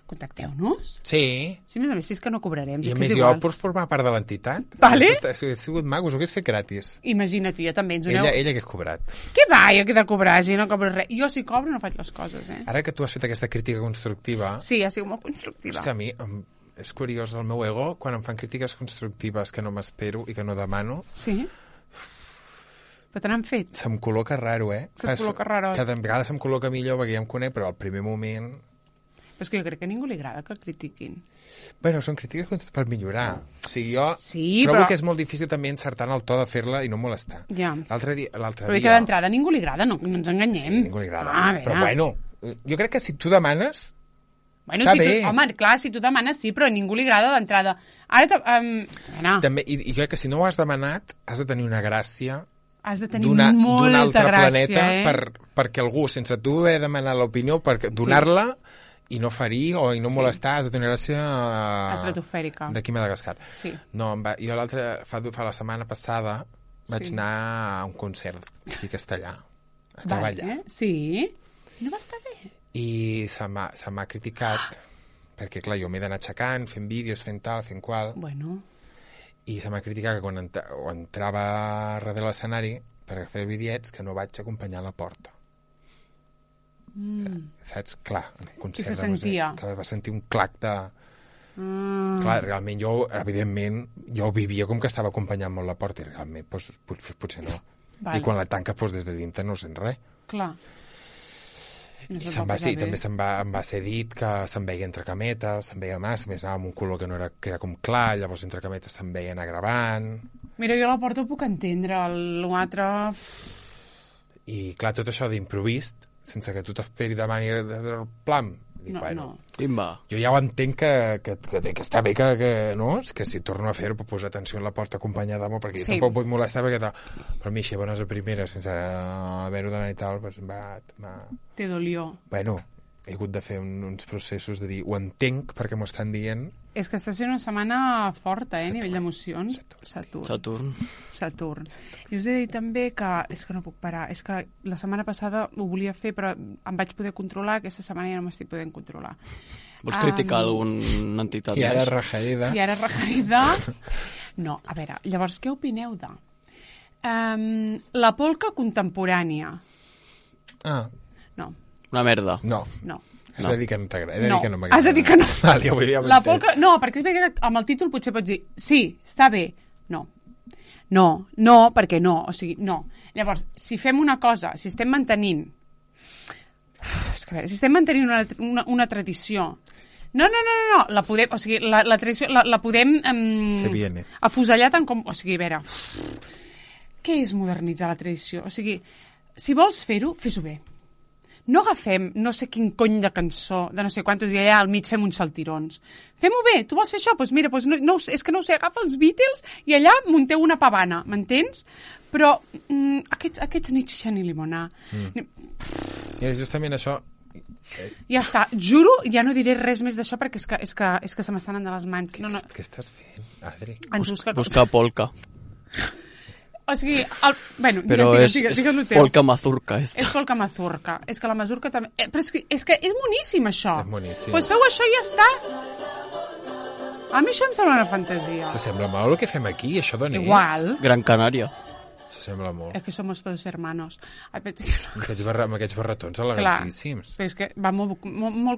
Speaker 2: contacteu-nos.
Speaker 1: Sí.
Speaker 2: Sí, a més, si és que no cobrarem.
Speaker 1: I a més, jo pots formar part de l'entitat.
Speaker 2: Vale.
Speaker 1: Si hagués sigut maco, us ho hagués fet gratis.
Speaker 2: Imagina't, jo també. Ella
Speaker 1: hagués cobrat.
Speaker 2: Què va, jo que he de cobrar, si no cobro res. Jo si cobro no faig les coses,
Speaker 1: Ara que tu has fet aquesta crítica constructiva...
Speaker 2: Sí, ha sigut molt constructiva.
Speaker 1: Hòstia, a mi és curiós el meu ego quan em fan crítiques constructives que no m'espero i que no demano.
Speaker 2: Sí? Però te n'han fet?
Speaker 1: Se'm col·loca raro,
Speaker 2: Se'm col·loca raro.
Speaker 1: Cada vegada se'm col·loca millor perquè ja em conec, però al primer moment...
Speaker 2: Però és que jo crec que a ningú li agrada que el critiquin.
Speaker 1: Bueno, són crítiques com tot per millorar. O sigui, jo
Speaker 2: Sí,
Speaker 1: trobo
Speaker 2: però-
Speaker 1: que és molt difícil també encertar en el to de fer-la i no molestar.
Speaker 2: Ja.
Speaker 1: L'altre dia...
Speaker 2: Però que d'entrada a ningú li agrada, no ens enganyem.
Speaker 1: Sí, a ningú li agrada.
Speaker 2: Ah, a
Speaker 1: però
Speaker 2: veure.
Speaker 1: bueno, jo crec que si tu demanes...
Speaker 2: Bueno,
Speaker 1: està
Speaker 2: si
Speaker 1: bé.
Speaker 2: tu, home, clar, si tu demanes sí, però a ningú li agrada d'entrada. Ara,
Speaker 1: També, i jo crec que si no ho has demanat, has de tenir una gràcia
Speaker 2: has de tenir
Speaker 1: d'un
Speaker 2: molta
Speaker 1: altre
Speaker 2: gràcia,
Speaker 1: planeta perquè algú, sense tu haver demanat l'opinió, donar-la i no ferir o i no molestar, has de tenir gràcia
Speaker 2: estratosfèrica.
Speaker 1: d'aquí Madagascar.
Speaker 2: Sí.
Speaker 1: No, jo fa la setmana passada vaig anar a un concert aquí a Castellà, a treballar.
Speaker 2: Vale. Sí? No va estar bé?
Speaker 1: I se m'ha criticat perquè, clar, jo m'he d'anar aixecant, fent vídeos, fent tal, fent qual,
Speaker 2: Bueno,
Speaker 1: i se m'ha criticat que quan entrava darrere l'escenari per fer bitllets que no vaig acompanyar a la porta. Saps? Clar, en un concert
Speaker 2: I se
Speaker 1: de música,
Speaker 2: sentia.
Speaker 1: que va sentir un clac de... Clar, realment jo, evidentment, jo vivia com que estava acompanyant molt la porta i realment potser no.
Speaker 2: Vale.
Speaker 1: I quan la tanca des de dintre no sent res.
Speaker 2: clar. No
Speaker 1: I
Speaker 2: se'n va posar bé.
Speaker 1: també em va ser dit que se'n veia entre cametes, se'n veia massa, més anava amb un color que era com clar, llavors entre cametes se'n veia anar gravant...
Speaker 2: Mira, jo la porta ho puc entendre, l'altre...
Speaker 1: I clar, tot això d'improvist, sense que tu t'esperi demani el plam, dic,
Speaker 2: No,
Speaker 1: bueno,
Speaker 2: no.
Speaker 3: Timba.
Speaker 1: jo ja ho entenc que està bé no? És que si torno a fer-ho puc posar atenció a la porta acompanyada molt, perquè
Speaker 2: Sí.
Speaker 1: jo tampoc vull molestar, perquè però a mi així bones a primera, sense haver-ho demanat i tal, doncs
Speaker 2: Te dolió.
Speaker 1: bueno, he hagut de fer uns processos de dir, ho entenc perquè m'ho estan dient.
Speaker 2: És que està sent una setmana forta, a nivell d'emocions. Saturn. I us he de dir també que... És que no puc parar. És que la setmana passada ho volia fer, però em vaig poder controlar. Aquesta setmana ja no m'estic podent controlar.
Speaker 3: Vols criticar alguna entitat?
Speaker 1: I ara
Speaker 3: més?
Speaker 1: rajarida.
Speaker 2: I ara regerida... No, a veure, llavors, què opineu de... la polca contemporània.
Speaker 1: Ah,
Speaker 2: No,
Speaker 3: Una merda.
Speaker 1: no.
Speaker 2: no.
Speaker 1: Has de dir que no t'agrada.
Speaker 2: No,
Speaker 1: que no m'agrada.
Speaker 2: has de dir que no.
Speaker 1: Vale, ja ho
Speaker 2: La
Speaker 1: entenc.
Speaker 2: polca... No, perquè és veritat que amb el títol potser pots dir sí, està bé. No. No, perquè no. O sigui, no. Llavors, si fem una cosa, si estem mantenint... És que, a veure, si estem mantenint una tradició... No, la podem... O sigui, la tradició la podem...
Speaker 1: Se viene.
Speaker 2: Afusellar tant com... O sigui, a veure... Què és modernitzar la tradició? O sigui, si vols fer-ho, fes-ho bé. No agafem no sé quin cony de cançó de no sé quantos i allà al mig fem uns saltirons. Fem-ho bé, tu vols fer això? Doncs mira, és que no ho sé, agafa els Beatles i allà munteu una pavana, m'entens? Però aquests ni xixar ni limonar.
Speaker 1: I justament això...
Speaker 2: Ja està, juro, ja no diré res més d'això perquè és que se m'estan anant de les mans. No.
Speaker 1: Què estàs fent, Adri?
Speaker 2: Ens
Speaker 3: Busca polca.
Speaker 2: O sigui, bueno,
Speaker 3: Però
Speaker 2: digues el teu.
Speaker 3: polca mazurca.
Speaker 2: És polca mazurca. És que la mazurca també... Però és que és boníssim, això.
Speaker 1: És boníssim.
Speaker 2: Doncs feu això i ja està. A mi això em sembla una fantasia.
Speaker 1: S'assembla molt el que fem aquí, això d'on és?
Speaker 2: Igual.
Speaker 3: Gran Canària.
Speaker 1: S'assembla molt.
Speaker 2: És que somos todos hermanos.
Speaker 1: Amb aquests barretons elegantíssims.
Speaker 2: Però és que va molt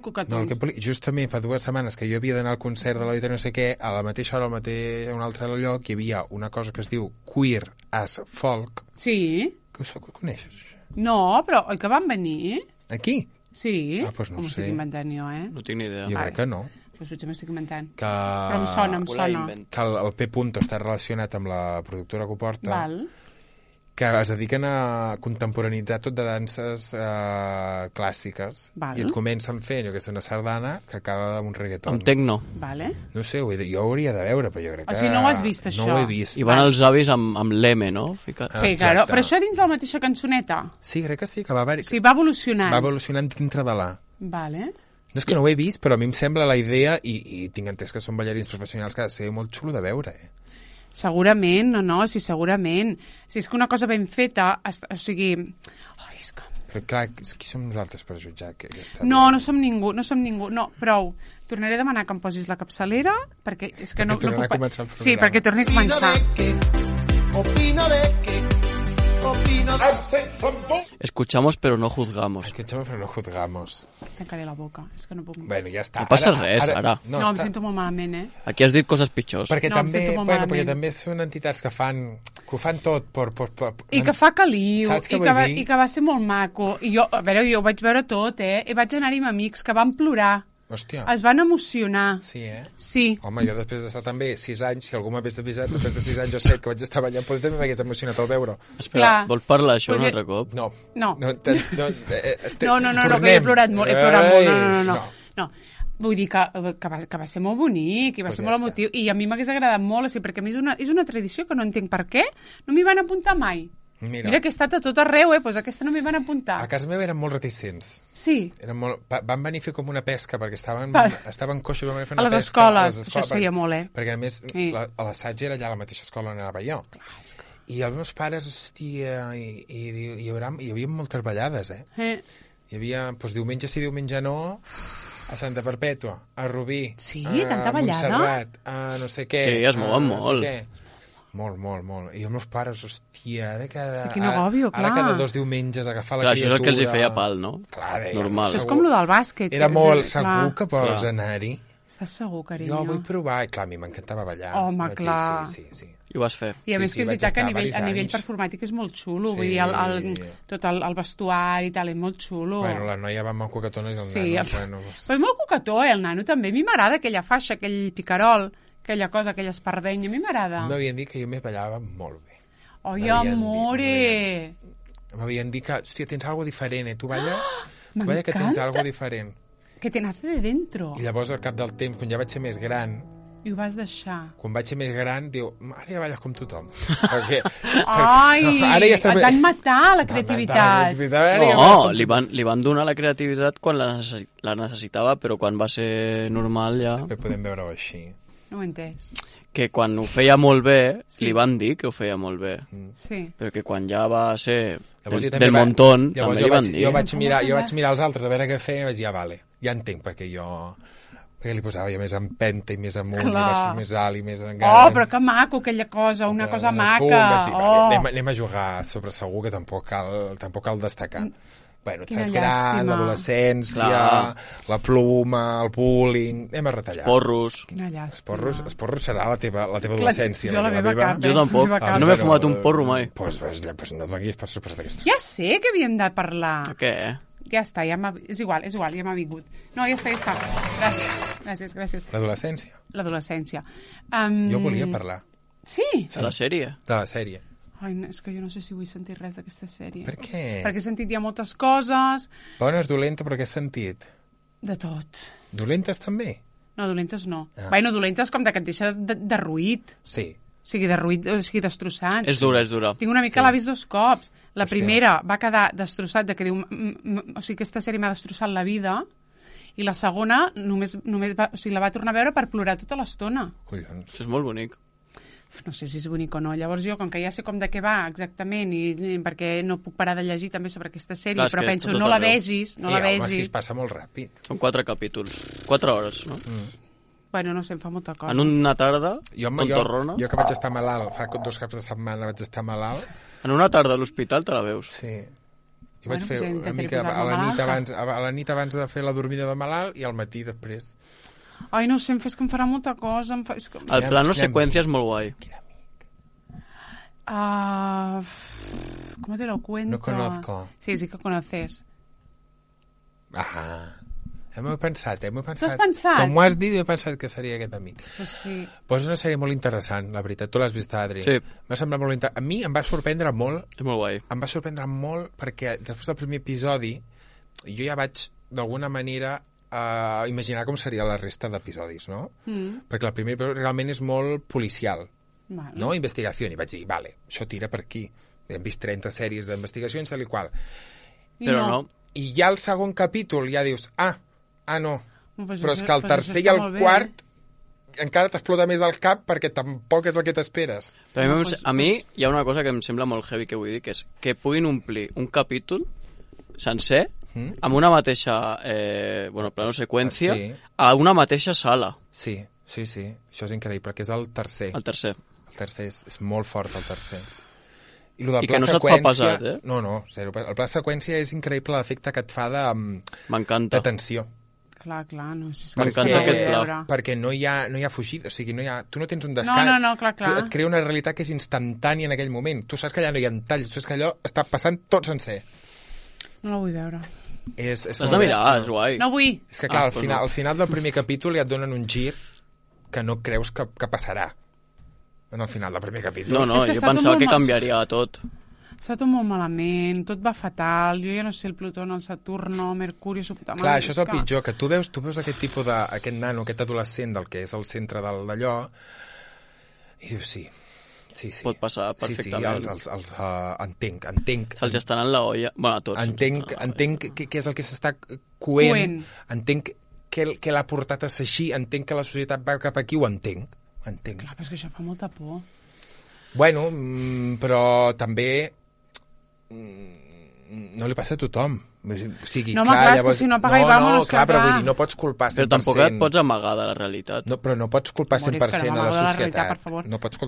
Speaker 2: coquetons.
Speaker 1: No, justament fa 2 setmanes que jo havia d'anar al concert de l'auditori no sé què, a la mateixa hora, a un altre lloc, hi havia una cosa que es diu Queer as Folk.
Speaker 2: Sí.
Speaker 1: Que ho coneixes?
Speaker 2: No, però oi que van venir?
Speaker 1: Aquí?
Speaker 2: Sí.
Speaker 1: Ah, doncs no
Speaker 2: o
Speaker 1: ho sé.
Speaker 2: m'estic inventant jo,
Speaker 3: No tinc ni idea.
Speaker 1: Jo crec que no.
Speaker 2: Doncs potser m'estic inventant.
Speaker 1: Però
Speaker 2: em sona.
Speaker 1: Que el P. Punto està relacionat amb la productora que ho porta.
Speaker 2: Val.
Speaker 1: Que es dediquen a contemporanitzar tot de danses clàssiques.
Speaker 2: Val.
Speaker 1: I et comencen fent, que és una sardana que acaba amb un reggaeton.
Speaker 3: Amb tecno.
Speaker 2: Vale.
Speaker 1: No sé, jo ho hauria de veure, però jo crec que...
Speaker 2: O sigui, no ho has vist, això?
Speaker 1: No ho he vist.
Speaker 3: I van els avis amb l'M, no? Ficat.
Speaker 2: Sí,
Speaker 1: Exacte.
Speaker 2: claro. Però això dins de la mateixa cançoneta?
Speaker 1: Sí, crec que sí, que va haver-hi...
Speaker 2: O sigui, va evolucionant.
Speaker 1: Va evolucionant dintre de la...
Speaker 2: Vale.
Speaker 1: No és que no ho he vist, però a mi em sembla la idea, i tinc entès que són ballarins professionals, que ha de ser molt xulo de veure,
Speaker 2: Segurament, sí, segurament. Si és que una cosa ben feta, o sigui... Oh, és que...
Speaker 1: Però clar, qui som nosaltres per jutjar que està
Speaker 2: No
Speaker 1: bé?
Speaker 2: som ningú, no, prou. Tornaré a demanar que em posis la capçalera, perquè és que no
Speaker 1: tornarà
Speaker 2: puc...
Speaker 1: a començar el programa.
Speaker 2: Sí, perquè torni a començar.
Speaker 4: Opino de que
Speaker 3: Escuchamos pero no juzgamos.
Speaker 1: Escuchamos però no juzgamos.
Speaker 2: Tancaré la boca, és que no puc...
Speaker 1: Bueno, ja està.
Speaker 3: No passa res, ara.
Speaker 2: No, em sento molt malament,
Speaker 3: Aquí has dit coses pitjors.
Speaker 1: Perquè
Speaker 2: No, em
Speaker 1: també,
Speaker 2: sento molt
Speaker 1: perquè
Speaker 2: malament.
Speaker 1: també són entitats que ho fan tot
Speaker 2: I que fa caliu,
Speaker 1: Saps què
Speaker 2: i
Speaker 1: vull dir?
Speaker 2: que va ser molt maco. I jo, a veure, jo ho vaig veure tot, I vaig anar-hi amb amics que van plorar.
Speaker 1: Hòstia.
Speaker 2: Es van emocionar.
Speaker 1: Sí,
Speaker 2: Sí.
Speaker 1: Home, jo després d'estar també 6 anys, si algú m'hagués avisat, després de 6 anys o 7 que vaig estar ballant, potser també m'hagués emocionat al veure.
Speaker 3: Espera, vols parlar això un altre cop?
Speaker 1: No.
Speaker 2: No,
Speaker 1: no,
Speaker 2: que he plorat molt, no. Vull dir que va ser molt bonic i va ser molt emotiu, i a mi m'hagués agradat molt, perquè a mi és una tradició que no entenc per què no m'hi van apuntar mai. Mira que he estat a tot arreu, doncs aquesta no m'hi van apuntar.
Speaker 1: A casa meva eren molt reticents.
Speaker 2: Sí.
Speaker 1: Van venir a fer com una pesca, perquè estaven coixos, van fer
Speaker 2: a
Speaker 1: una
Speaker 2: les
Speaker 1: pesca.
Speaker 2: Escoles, això es feia molt,
Speaker 1: Perquè, a més, l'assaig era allà a la mateixa escola on anava jo. I els meus pares, hòstia, hi havia moltes ballades, Hi havia, doncs, diumenge sí, diumenge no, a Santa Perpètua, a Rubí,
Speaker 2: tanta ballada?
Speaker 1: Montserrat, a no sé què.
Speaker 3: Sí, es mouen molt.
Speaker 1: Molt. I els meus pares, hòstia,
Speaker 2: quin agòbio, clar.
Speaker 1: Ara cada 2 diumenges agafar la criatura...
Speaker 3: Això és el que els hi feia pal, no?
Speaker 1: Clar,
Speaker 3: normal.
Speaker 2: Això és com el del bàsquet.
Speaker 1: Era molt segur que vols anar-hi.
Speaker 2: Estàs segur, carinyo?
Speaker 1: Jo vull provar, i clar, a mi m'encantava ballar.
Speaker 2: Home, clar.
Speaker 1: Sí.
Speaker 3: I ho vas fer.
Speaker 2: I a més que és veritat que a nivell performàtic és molt xulo, vull dir, tot el vestuari i tal, és molt xulo.
Speaker 1: Bueno, la noia va molt coquetona i el nano...
Speaker 2: Però és molt coquetó, el nano també. A mi m'agrada aquella faixa, aquell picarol, aquella cosa, aquella espardenya, a mi m'agrada.
Speaker 1: M'havien dit que jo m'hi ballava molt bé.
Speaker 2: Oi, amore!
Speaker 1: M'havien dit que, hòstia, tens algo diferent, Tu balles? Tu balles que tens algo diferent.
Speaker 2: Que te nace de dentro.
Speaker 1: I llavors, al cap del temps, quan ja vaig ser més gran...
Speaker 2: I ho vas deixar.
Speaker 1: Quan vaig ser més gran, diu, ara ja balles com tothom. Perquè,
Speaker 2: et van matar la creativitat.
Speaker 3: No, li van donar la creativitat quan la necessitava, però quan va ser normal ja...
Speaker 1: També podem veure-ho així.
Speaker 2: No ho he entès.
Speaker 3: Que quan ho feia molt bé, li van dir que ho feia molt bé.
Speaker 2: Sí.
Speaker 3: Però que quan ja va ser del montón, també li van dir.
Speaker 1: Jo vaig mirar els altres a veure què feien i vaig dir, vale, ja entenc perquè li posava ja més empenta i més amunt, i versos més alt i més encara.
Speaker 2: Però que maco aquella cosa, una cosa maca.
Speaker 1: Vaig dir, anem a jugar sobre segur que tampoc cal destacar. Bueno, estàs gran, l'adolescència, la pluma, el bullying... Anem a retallar.
Speaker 3: Porros.
Speaker 2: Quina llàstima.
Speaker 1: Els porros serà la teva adolescència.
Speaker 2: Jo la meva cap.
Speaker 3: Jo tampoc. No m'he fumat un porro mai.
Speaker 1: Doncs no donis per suposat aquesta.
Speaker 2: Ja sé que havíem de parlar.
Speaker 3: Què?
Speaker 2: Ja està, és igual, ja m'ha vingut. No, ja està. Gràcies. L'adolescència.
Speaker 1: Jo volia parlar.
Speaker 2: Sí?
Speaker 3: De la sèrie?
Speaker 1: De la sèrie.
Speaker 2: Ai, és que jo no sé si vull sentir res d'aquesta sèrie.
Speaker 1: Per què?
Speaker 2: Perquè he sentit ja moltes coses.
Speaker 1: Bones, dolenta, però què has sentit?
Speaker 2: De tot.
Speaker 1: Dolentes també?
Speaker 2: No, dolentes no. Bueno, dolentes com que et deixa derruït.
Speaker 1: Sí.
Speaker 2: O sigui, derruït, o sigui, destrossat.
Speaker 3: És dura.
Speaker 2: Tinc una mica l'ha vist 2 cops. La primera va quedar destrossat, que diu... O sigui, aquesta sèrie m'ha destrossat la vida. I la segona només la va tornar a veure per plorar tota l'estona.
Speaker 1: Collons.
Speaker 3: Això és molt bonic.
Speaker 2: No sé si és bonic o no. Llavors jo, com que ja sé com de què va exactament, i perquè no puc parar de llegir també sobre aquesta sèrie, però penso, no la vegis.
Speaker 1: Home, si es passa molt ràpid.
Speaker 3: Són 4 capítols. 4 hores, no?
Speaker 2: Bueno, no sé, em fa molta cosa.
Speaker 3: En una tarda, tontorrona...
Speaker 1: Jo que vaig estar malalt, fa 2 caps de setmana vaig estar malalt...
Speaker 3: En una tarda a l'hospital te la veus.
Speaker 1: Sí. Jo vaig fer una mica a la nit abans de fer la dormida de malalt i al matí després...
Speaker 2: Ai, no sé, és que em farà molta cosa.
Speaker 3: El plano seqüència és molt guai.
Speaker 2: ¿Cómo te lo cuento?
Speaker 1: No conozco.
Speaker 2: Sí que conoces.
Speaker 1: Ajá. M'ho he pensat.
Speaker 2: T'ho has pensat?
Speaker 1: Com ho has dit, he pensat que seria aquest amic.
Speaker 2: Pues sí.
Speaker 1: Pues és una sèrie molt interessant, la veritat. Tu l'has vist, Adri?
Speaker 3: Sí.
Speaker 1: M'ha semblat molt interessant. A mi em va sorprendre molt.
Speaker 3: És molt guai.
Speaker 1: Em va sorprendre molt perquè després del primer episodi jo ja vaig, d'alguna manera, imaginar com seria la resta d'episodis, no? Perquè el primer episodi realment és molt policial, no? Investigació. I vaig dir, vale, això tira per aquí. Hem vist 30 sèries d'investigacions, tal i qual.
Speaker 3: Però no.
Speaker 1: I ja el segon capítol ja dius, no. Però és que el tercer i el quart encara t'explota més el cap perquè tampoc és el que t'esperes.
Speaker 3: Però a mi hi ha una cosa que em sembla molt heavy que vull dir, que és que puguin omplir un capítol sencer amb una mateixa plano seqüència a una mateixa sala.
Speaker 1: Sí. Això és increïble, que és el tercer.
Speaker 3: El tercer
Speaker 1: és molt fort, el tercer. I
Speaker 3: que no se't fa pesat,
Speaker 1: No, zero. El pla seqüència és increïble l'efecte que et fa de...
Speaker 3: M'encanta.
Speaker 1: De tensió.
Speaker 2: Clar, no.
Speaker 3: M'encanta aquest pla.
Speaker 1: Perquè no hi ha fugida, o sigui, tu no tens un descans.
Speaker 2: No, clar.
Speaker 1: Et crea una realitat que és instantània en aquell moment. Tu saps que allà no hi ha talls, tu saps que allò està passant tot sencer.
Speaker 2: No la vull veure.
Speaker 3: L'has de mirar, és guai.
Speaker 2: No vull.
Speaker 1: És que, clar, al final del primer capítol ja et donen un gir que no creus que passarà. En el final del primer capítol.
Speaker 3: No, jo pensava que canviaria tot.
Speaker 2: Està tot molt malament, tot va fatal, jo ja no sé el Plutó, el Saturno, Mercuri...
Speaker 1: Clar, això és el pitjor, que tu veus aquest tipus aquest nano, aquest adolescent del que és el centre d'allò, i dius, sí.
Speaker 3: Pot passar perfectament.
Speaker 1: Sí, entenc.
Speaker 3: Se'ls estan en la olla, bueno, a tots.
Speaker 1: Entenc què és el que s'està coent, entenc què l'ha portat a ser així, entenc que la societat va cap aquí, ho entenc.
Speaker 2: Clar, però és que això fa molta por.
Speaker 1: Bueno, però també no li passa a tothom. O sigui,
Speaker 2: no, clar, llavors... és que si no apaga i vamos...
Speaker 1: No, clar, però vull dir, no pots culpar 100%.
Speaker 3: Però tampoc et pots amagar de la realitat.
Speaker 1: No, però no pots culpar 100% a la societat.
Speaker 2: No
Speaker 1: pots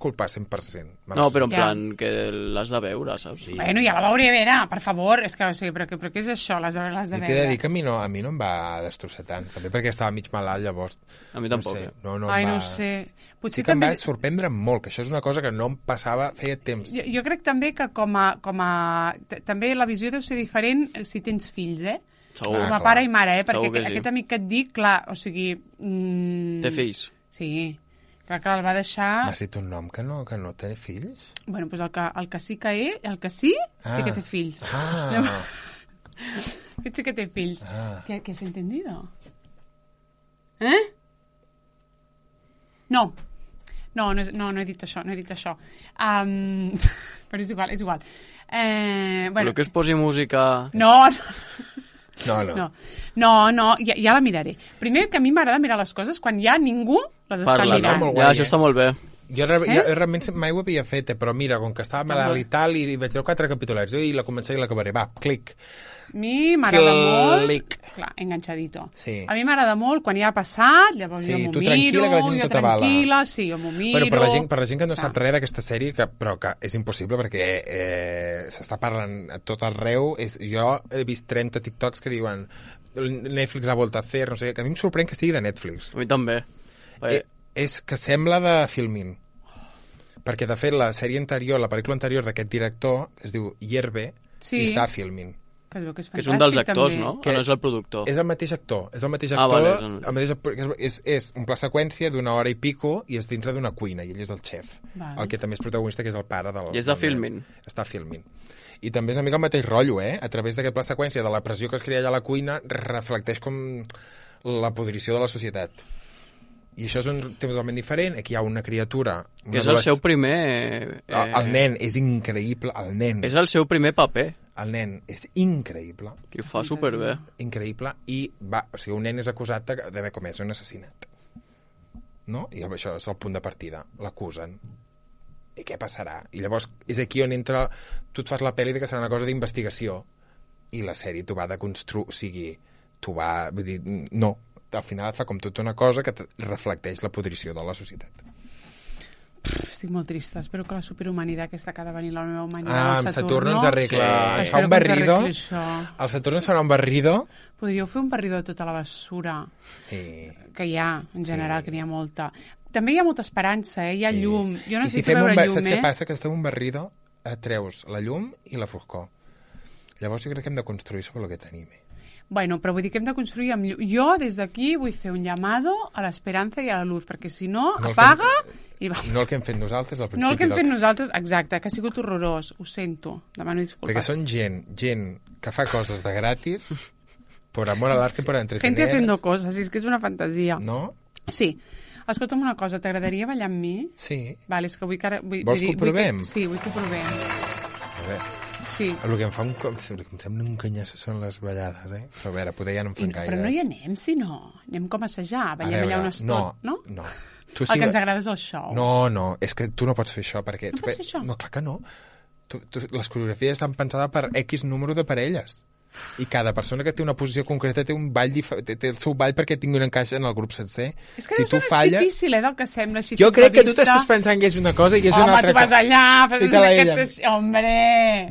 Speaker 1: culpar 100%.
Speaker 3: No, però en plan, que l'has de veure, saps?
Speaker 2: Sí. Bueno, ja la veuré a veure, per favor. És que, o sigui, però què és això? L'has de veure.
Speaker 1: I t'he de dir que a mi no em va destrossar tant. També perquè estava mig malalt, llavors.
Speaker 3: A mi tampoc.
Speaker 2: No sé. Potser
Speaker 1: sí que em va sorprendre molt, que això és una cosa que no em passava feia temps.
Speaker 2: Jo crec també que com a... També la visió deu ser diferent si tens fills,
Speaker 3: Segur.
Speaker 2: Com a pare i mare, perquè aquest amic que et dic, clar, o sigui...
Speaker 3: Té fills?
Speaker 2: Sí. Clar que el va deixar...
Speaker 1: M'has dit un nom que no té fills?
Speaker 2: Bueno, doncs el que sí que sí que té fills. Aquest sí que té fills. ¿Qué has entendido? No he dit això. Però és igual.
Speaker 3: Però que es posi música...
Speaker 1: No.
Speaker 2: Ja la miraré. Primer, que a mi m'agrada mirar les coses quan ja ningú les està mirant.
Speaker 3: Ja, això està molt bé.
Speaker 1: Jo realment mai ho havia fet, però mira, com que estava malalt i tal, i vaig veure 4 capitolets, i la començaré i l'acabaré. Va, clic.
Speaker 2: A mi m'agrada molt... Clar, enganxadito.
Speaker 1: Sí.
Speaker 2: A mi m'agrada molt quan ja ha passat, llavors jo m'ho miro, jo tranquil·la, sí, jo m'ho miro...
Speaker 1: Bueno, per la gent que no sap res d'aquesta sèrie, però que és impossible perquè s'està parlant a tot arreu, jo he vist 30 TikToks que diuen Netflix ha voltat a fer, no sé, que a mi em sorprèn que estigui de Netflix.
Speaker 3: A mi també.
Speaker 1: És que sembla de Filmin. Perquè, de fet, la sèrie anterior, la pel·lícula anterior d'aquest director, que es diu Hierve, està a Filmin.
Speaker 2: Que és
Speaker 3: que és un dels actors, no? Que no és el productor.
Speaker 1: És el mateix actor. Vale, és un pla seqüència d'una hora i pico i és dintre d'una cuina, i ell és el xef. Vale. El que també és protagonista, que és el pare del...
Speaker 3: I és de Filmin.
Speaker 1: Està a Filmin. I també és una mica el mateix rotllo, A través d'aquest pla seqüència de la pressió que es crea allà a la cuina, reflecteix com la podrició de la societat. I això és un tema totalment diferent. Aquí hi ha una criatura...
Speaker 3: Que és el seu primer...
Speaker 1: El nen és increïble, el nen.
Speaker 3: És el seu primer paper.
Speaker 1: El nen és increïble.
Speaker 3: Que ho fa superbé.
Speaker 1: Increïble. I un nen és acusat d'haver comès un assassinat. No? I això és el punt de partida. L'acusen. I què passarà? I llavors és aquí on entra... Tu et fas la pel·li que serà una cosa d'investigació i la sèrie t'ho va de construir... O sigui, t'ho va... Vull dir, no. Al final et fa com tota una cosa que reflecteix la podrició de la societat.
Speaker 2: Estic molt trista. Espero que la superhumanitat aquesta que ha de venir la nova humanitat del
Speaker 1: Saturno ens arregla. Ens fa un barrido. El Saturno ens farà un barrido.
Speaker 2: Podríeu fer un barrido de tota la bessura que hi ha, en general, que n'hi ha molta. També hi ha molta esperança, hi ha llum. Jo necessito veure llum,
Speaker 1: Saps què passa? Que fem un barrido, treus la llum i la foscor. Llavors jo crec que hem de construir sobre el que tenim.
Speaker 2: Bueno, però vull dir que hem de construir amb llum. Jo, des d'aquí, vull fer un llamado a l'esperança i a la luz, perquè si no, apaga i va.
Speaker 1: No el que hem fet nosaltres al principi.
Speaker 2: No el que hem fet nosaltres, exacte, que ha sigut horrorós. Ho sento, demano disculpes.
Speaker 1: Perquè són gent que fa coses de gratis, por amor al arte, por entretener.
Speaker 2: Gente haciendo cosas, és que és una fantasia.
Speaker 1: No?
Speaker 2: Sí. Escolta'm una cosa, t'agradaria ballar amb mi?
Speaker 1: Sí.
Speaker 2: Vale, és que vull que ara...
Speaker 1: Vols que ho provem?
Speaker 2: Sí, vull que ho provem.
Speaker 1: A veure...
Speaker 2: Sí.
Speaker 1: El que em sembla un canyassa són les ballades, Però a veure, poder ja no em fan gaires.
Speaker 2: Però no hi anem, si no. Anem com a assajar, ballem allà una estona, no?
Speaker 1: No.
Speaker 2: El que ens agrada és el show.
Speaker 1: No, és que tu no pots fer això, perquè...
Speaker 2: No pots fer això?
Speaker 1: No, clar que no. Les coreografies estan pensades per X número de parelles. I cada persona que té una posició concreta té un ball té el seu ball perquè tingui un encaix en el grup sencer.
Speaker 2: És que deu ser difícil, del que sembla així.
Speaker 1: Jo crec que tu t'estàs pensant que és una cosa i és una altra cosa.
Speaker 2: Home, tu vas allà, hombre,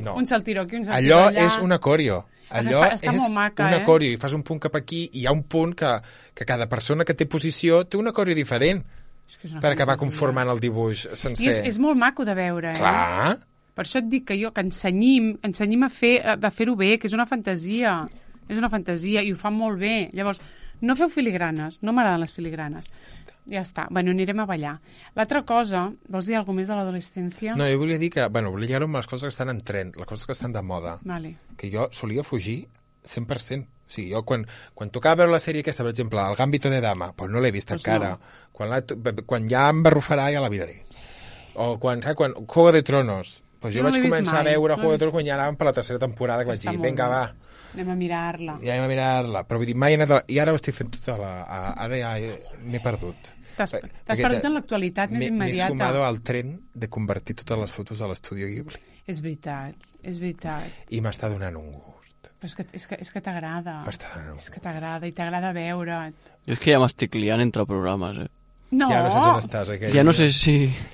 Speaker 1: no.
Speaker 2: Un saltiro aquí, un saltiro allà.
Speaker 1: Allò és una coreo. Allò
Speaker 2: està molt maca,
Speaker 1: una coreo i fas un punt cap aquí i hi ha un punt que cada persona que té posició té una coreo diferent per acabar conformant el dibuix sencer.
Speaker 2: I és molt maco de veure,
Speaker 1: Clar.
Speaker 2: Per això et dic que ensenyim a fer-ho bé, que és una fantasia. És una fantasia i ho fan molt bé. Llavors, no feu filigranes, no m'agraden les filigranes. Ja està, bueno, anirem a ballar. L'altra cosa, vols dir alguna més de l'adolescència?
Speaker 1: No, jo volia dir que, volia lligar-ho amb les coses que estan en trend, les coses que estan de moda.
Speaker 2: Vale.
Speaker 1: Que jo solia fugir 100%. O sigui, jo quan tocava veure la sèrie aquesta, per exemple, El Gambito de Dama, doncs no l'he vist encara. No. Quan ja em barrufarà ja la miraré. O quan Juego de Tronos, doncs jo vaig començar a veure Juego de Tronos quan ja anàvem per la tercera temporada, que vaig dir, vinga, va.
Speaker 2: Anem a mirar-la.
Speaker 1: Ja anem a mirar-la. Però vull dir, mai he anat... I ara ho estic fent tota ara ja m'he perdut.
Speaker 2: T'has perdut en l'actualitat més immediata.
Speaker 1: M'he sumado al tren de convertir totes les fotos a l'Estudio Ghibli.
Speaker 2: És veritat.
Speaker 1: I m'està donant un gust.
Speaker 2: Però és que t'agrada.
Speaker 1: M'està donant un gust.
Speaker 2: És que t'agrada i t'agrada veure't.
Speaker 3: Jo és que ja m'estic liant entre programes,
Speaker 2: No.
Speaker 1: Ja no saps on estàs.
Speaker 3: Ja no sé si...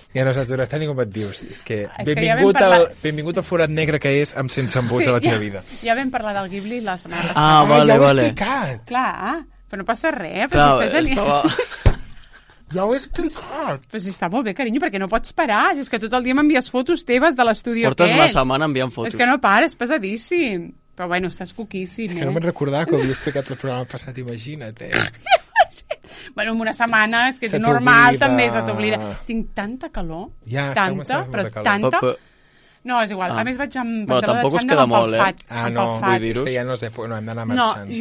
Speaker 1: Ja no saps on estàs ni com et dius. És que benvingut al forat negre que és amb sense embuts a la teva vida.
Speaker 2: Ja vam parlar del Ghibli la setmana passada.
Speaker 3: Ah, vale.
Speaker 1: Ja ho he explicat.
Speaker 2: Clar, però no passa res.
Speaker 3: Clar,
Speaker 1: ja ho he explicat.
Speaker 2: Però si està molt bé, carinyo, perquè no pots parar. És que tot el dia m'envies fotos teves de l'estudi aquest.
Speaker 3: Portes una setmana enviant fotos.
Speaker 2: És que no pares, pesadíssim. Però bueno, estàs coquíssim,
Speaker 1: És que no me'n recordava que ho havia explicat el programa passat, imagina't,
Speaker 2: Bueno, en una setmana, és que és normal, també se t'oblida. Tinc tanta calor, tanta, però tanta... No, és igual. A més vaig amb pantaló de xandall empalfat.
Speaker 1: No, vull dir-ho. És que ja no sé, no hem d'anar marxant.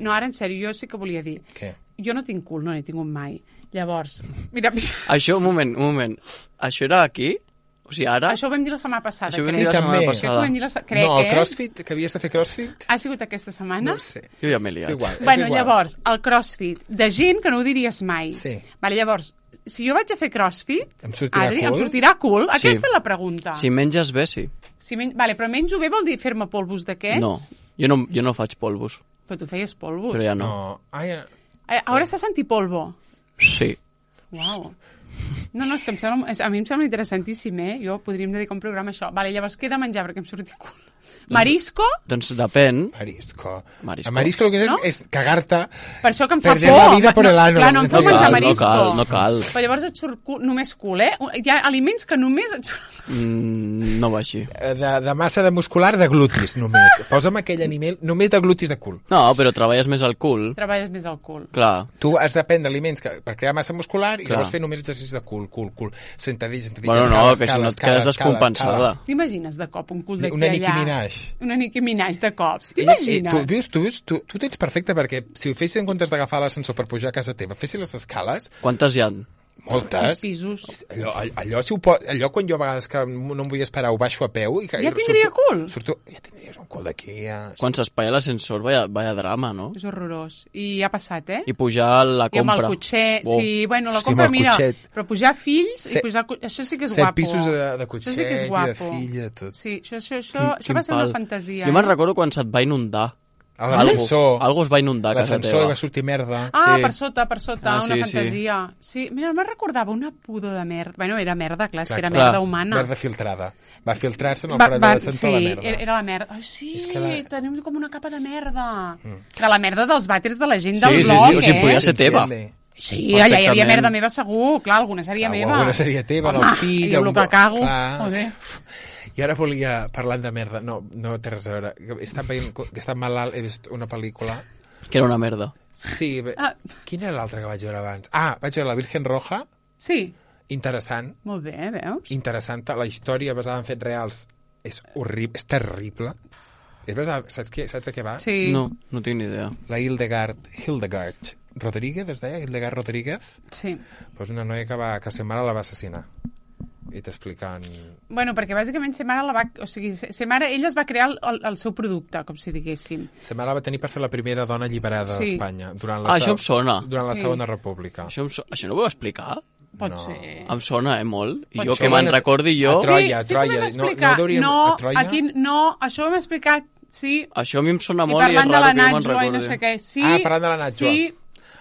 Speaker 2: No, ara en sèrio, jo sí que volia dir.
Speaker 1: Què?
Speaker 2: Jo no tinc cul, no n'he tingut mai. Llavors, mira...
Speaker 3: Això, un moment. Això era aquí? O sigui, ara...
Speaker 2: Això ho vam dir la setmana passada.
Speaker 3: Això ho vam dir la setmana passada.
Speaker 1: Crec, no, el CrossFit, que havies de fer CrossFit...
Speaker 2: Ha sigut aquesta setmana?
Speaker 1: No ho sé.
Speaker 3: Jo ja m'he liat.
Speaker 1: És igual.
Speaker 2: Bueno, llavors, el CrossFit, de gent que no ho diries mai.
Speaker 1: Sí.
Speaker 2: Vale, llavors, si jo vaig a fer CrossFit,
Speaker 1: em sortirà
Speaker 2: Adri,
Speaker 1: cul?
Speaker 2: em sortirà cul? Sí. Aquesta és la pregunta.
Speaker 3: Si menges bé, sí.
Speaker 2: Vale, però menjo bé vol dir fer-me polvos d'aquests?
Speaker 3: No, jo no faig polvos.
Speaker 2: Però tu feies polvos.
Speaker 3: Però ja no.
Speaker 2: Ara estàs antipolvo.
Speaker 3: Sí.
Speaker 2: Uau. No, és que a mi em sembla interessantíssim, Jo podríem dedicar un programa a això. Vale, llavors què he de menjar perquè em surti cul? Marisco?
Speaker 3: Doncs depèn.
Speaker 1: Marisco. El marisco el que és cagar-te.
Speaker 2: Per això que em fa por.
Speaker 1: Perder la vida por el ano.
Speaker 2: Clar, no em puc menjar marisco.
Speaker 3: No cal.
Speaker 2: Però llavors et surt només cul, Hi ha aliments que només et surt...
Speaker 3: No va així.
Speaker 1: De massa de muscular de glutis, només. Posa'm aquell animal només de glutis de cul.
Speaker 3: No, però treballes més al cul.
Speaker 2: Treballes més al cul.
Speaker 3: Clar.
Speaker 1: Tu has de prendre aliments per crear massa muscular i llavors fer només exercicis de cul. Sentadilles,
Speaker 3: bueno, no, que si no et quedes descompensada.
Speaker 2: T'imagines de cop un cul d'aquí allà?
Speaker 1: Una Nicki Minaj.
Speaker 2: Una Nicki Minaj de cops. T'imagines?
Speaker 1: Tu tens perfecte perquè si ho fessis en comptes d'agafar l'ascensor per pujar a casa teva, fessis les escales...
Speaker 3: Quantes hi ha?
Speaker 1: Moltes.
Speaker 2: 6 pisos.
Speaker 1: Allò quan jo a vegades que no em vull esperar ho baixo a peu...
Speaker 2: Ja tindria cul?
Speaker 1: Ja tindries un cul d'aquí.
Speaker 3: Quan s'espaia l'ascensor, vaya drama, no?
Speaker 2: És horrorós. I ha passat,
Speaker 3: I pujar a la compra.
Speaker 2: I amb el cotxet. Sí, bueno, la compra, mira, però pujar fills i pujar... Això sí que és guapo.
Speaker 1: 7 pisos de cotxet
Speaker 2: i
Speaker 1: de filla, tot.
Speaker 2: Sí, això va ser una fantasia.
Speaker 3: Jo me'n recordo quan se't va inundar.
Speaker 1: A l'ascensor.
Speaker 3: Algo es va inundar a casa teva.
Speaker 1: L'ascensor va sortir merda.
Speaker 2: Per sota, una fantasia. Sí, mira, me'n recordava una pudor de merda. Bueno, era merda, clar, és que era merda humana.
Speaker 1: Merda filtrada. Va filtrar-se en el forat de l'ascensor la merda.
Speaker 2: Sí, era la merda. Ai, sí, tenim com una capa de merda. De la merda dels vàters de la gent del blog,
Speaker 3: Sí, o sigui, podia ser teva.
Speaker 2: Sí, allà hi havia merda meva segur, clar, alguna seria meva.
Speaker 1: Alguna seria teva, del fill...
Speaker 2: I el que cago.
Speaker 1: I ara volia, parlant de merda, no té res a veure, he estat malalt, he vist una pel·lícula...
Speaker 3: Que era una merda.
Speaker 1: Sí, quina era l'altra que vaig veure abans? Vaig veure La Virgen Roja.
Speaker 2: Sí.
Speaker 1: Interessant.
Speaker 2: Molt bé, veus?
Speaker 1: Interessant, la història basada en fets reals és horrible, és terrible. Saps de què va?
Speaker 2: Sí.
Speaker 3: No tinc ni idea.
Speaker 1: La Hildegard Rodríguez, es deia? Hildegard Rodríguez?
Speaker 2: Sí.
Speaker 1: Pues una noia que sa mare la va assassinar. I t'explicant...
Speaker 2: Bueno, perquè bàsicament sa mare ella es va crear el seu producte, com si diguéssim.
Speaker 1: Sa mare la va tenir per fer la primera dona alliberada d'Espanya.
Speaker 3: Això em sona.
Speaker 1: Durant la Segona República.
Speaker 3: Això no ho va explicar?
Speaker 2: Pot ser.
Speaker 3: Em sona, molt. I jo que me'n recordi jo...
Speaker 1: A Troia.
Speaker 2: Sí que ho vam explicar. No, això ho vam explicar, sí.
Speaker 3: Això a mi em sona molt
Speaker 2: i és raro que jo me'n recordi. I no sé què. Sí,
Speaker 1: parlant de la Natxo.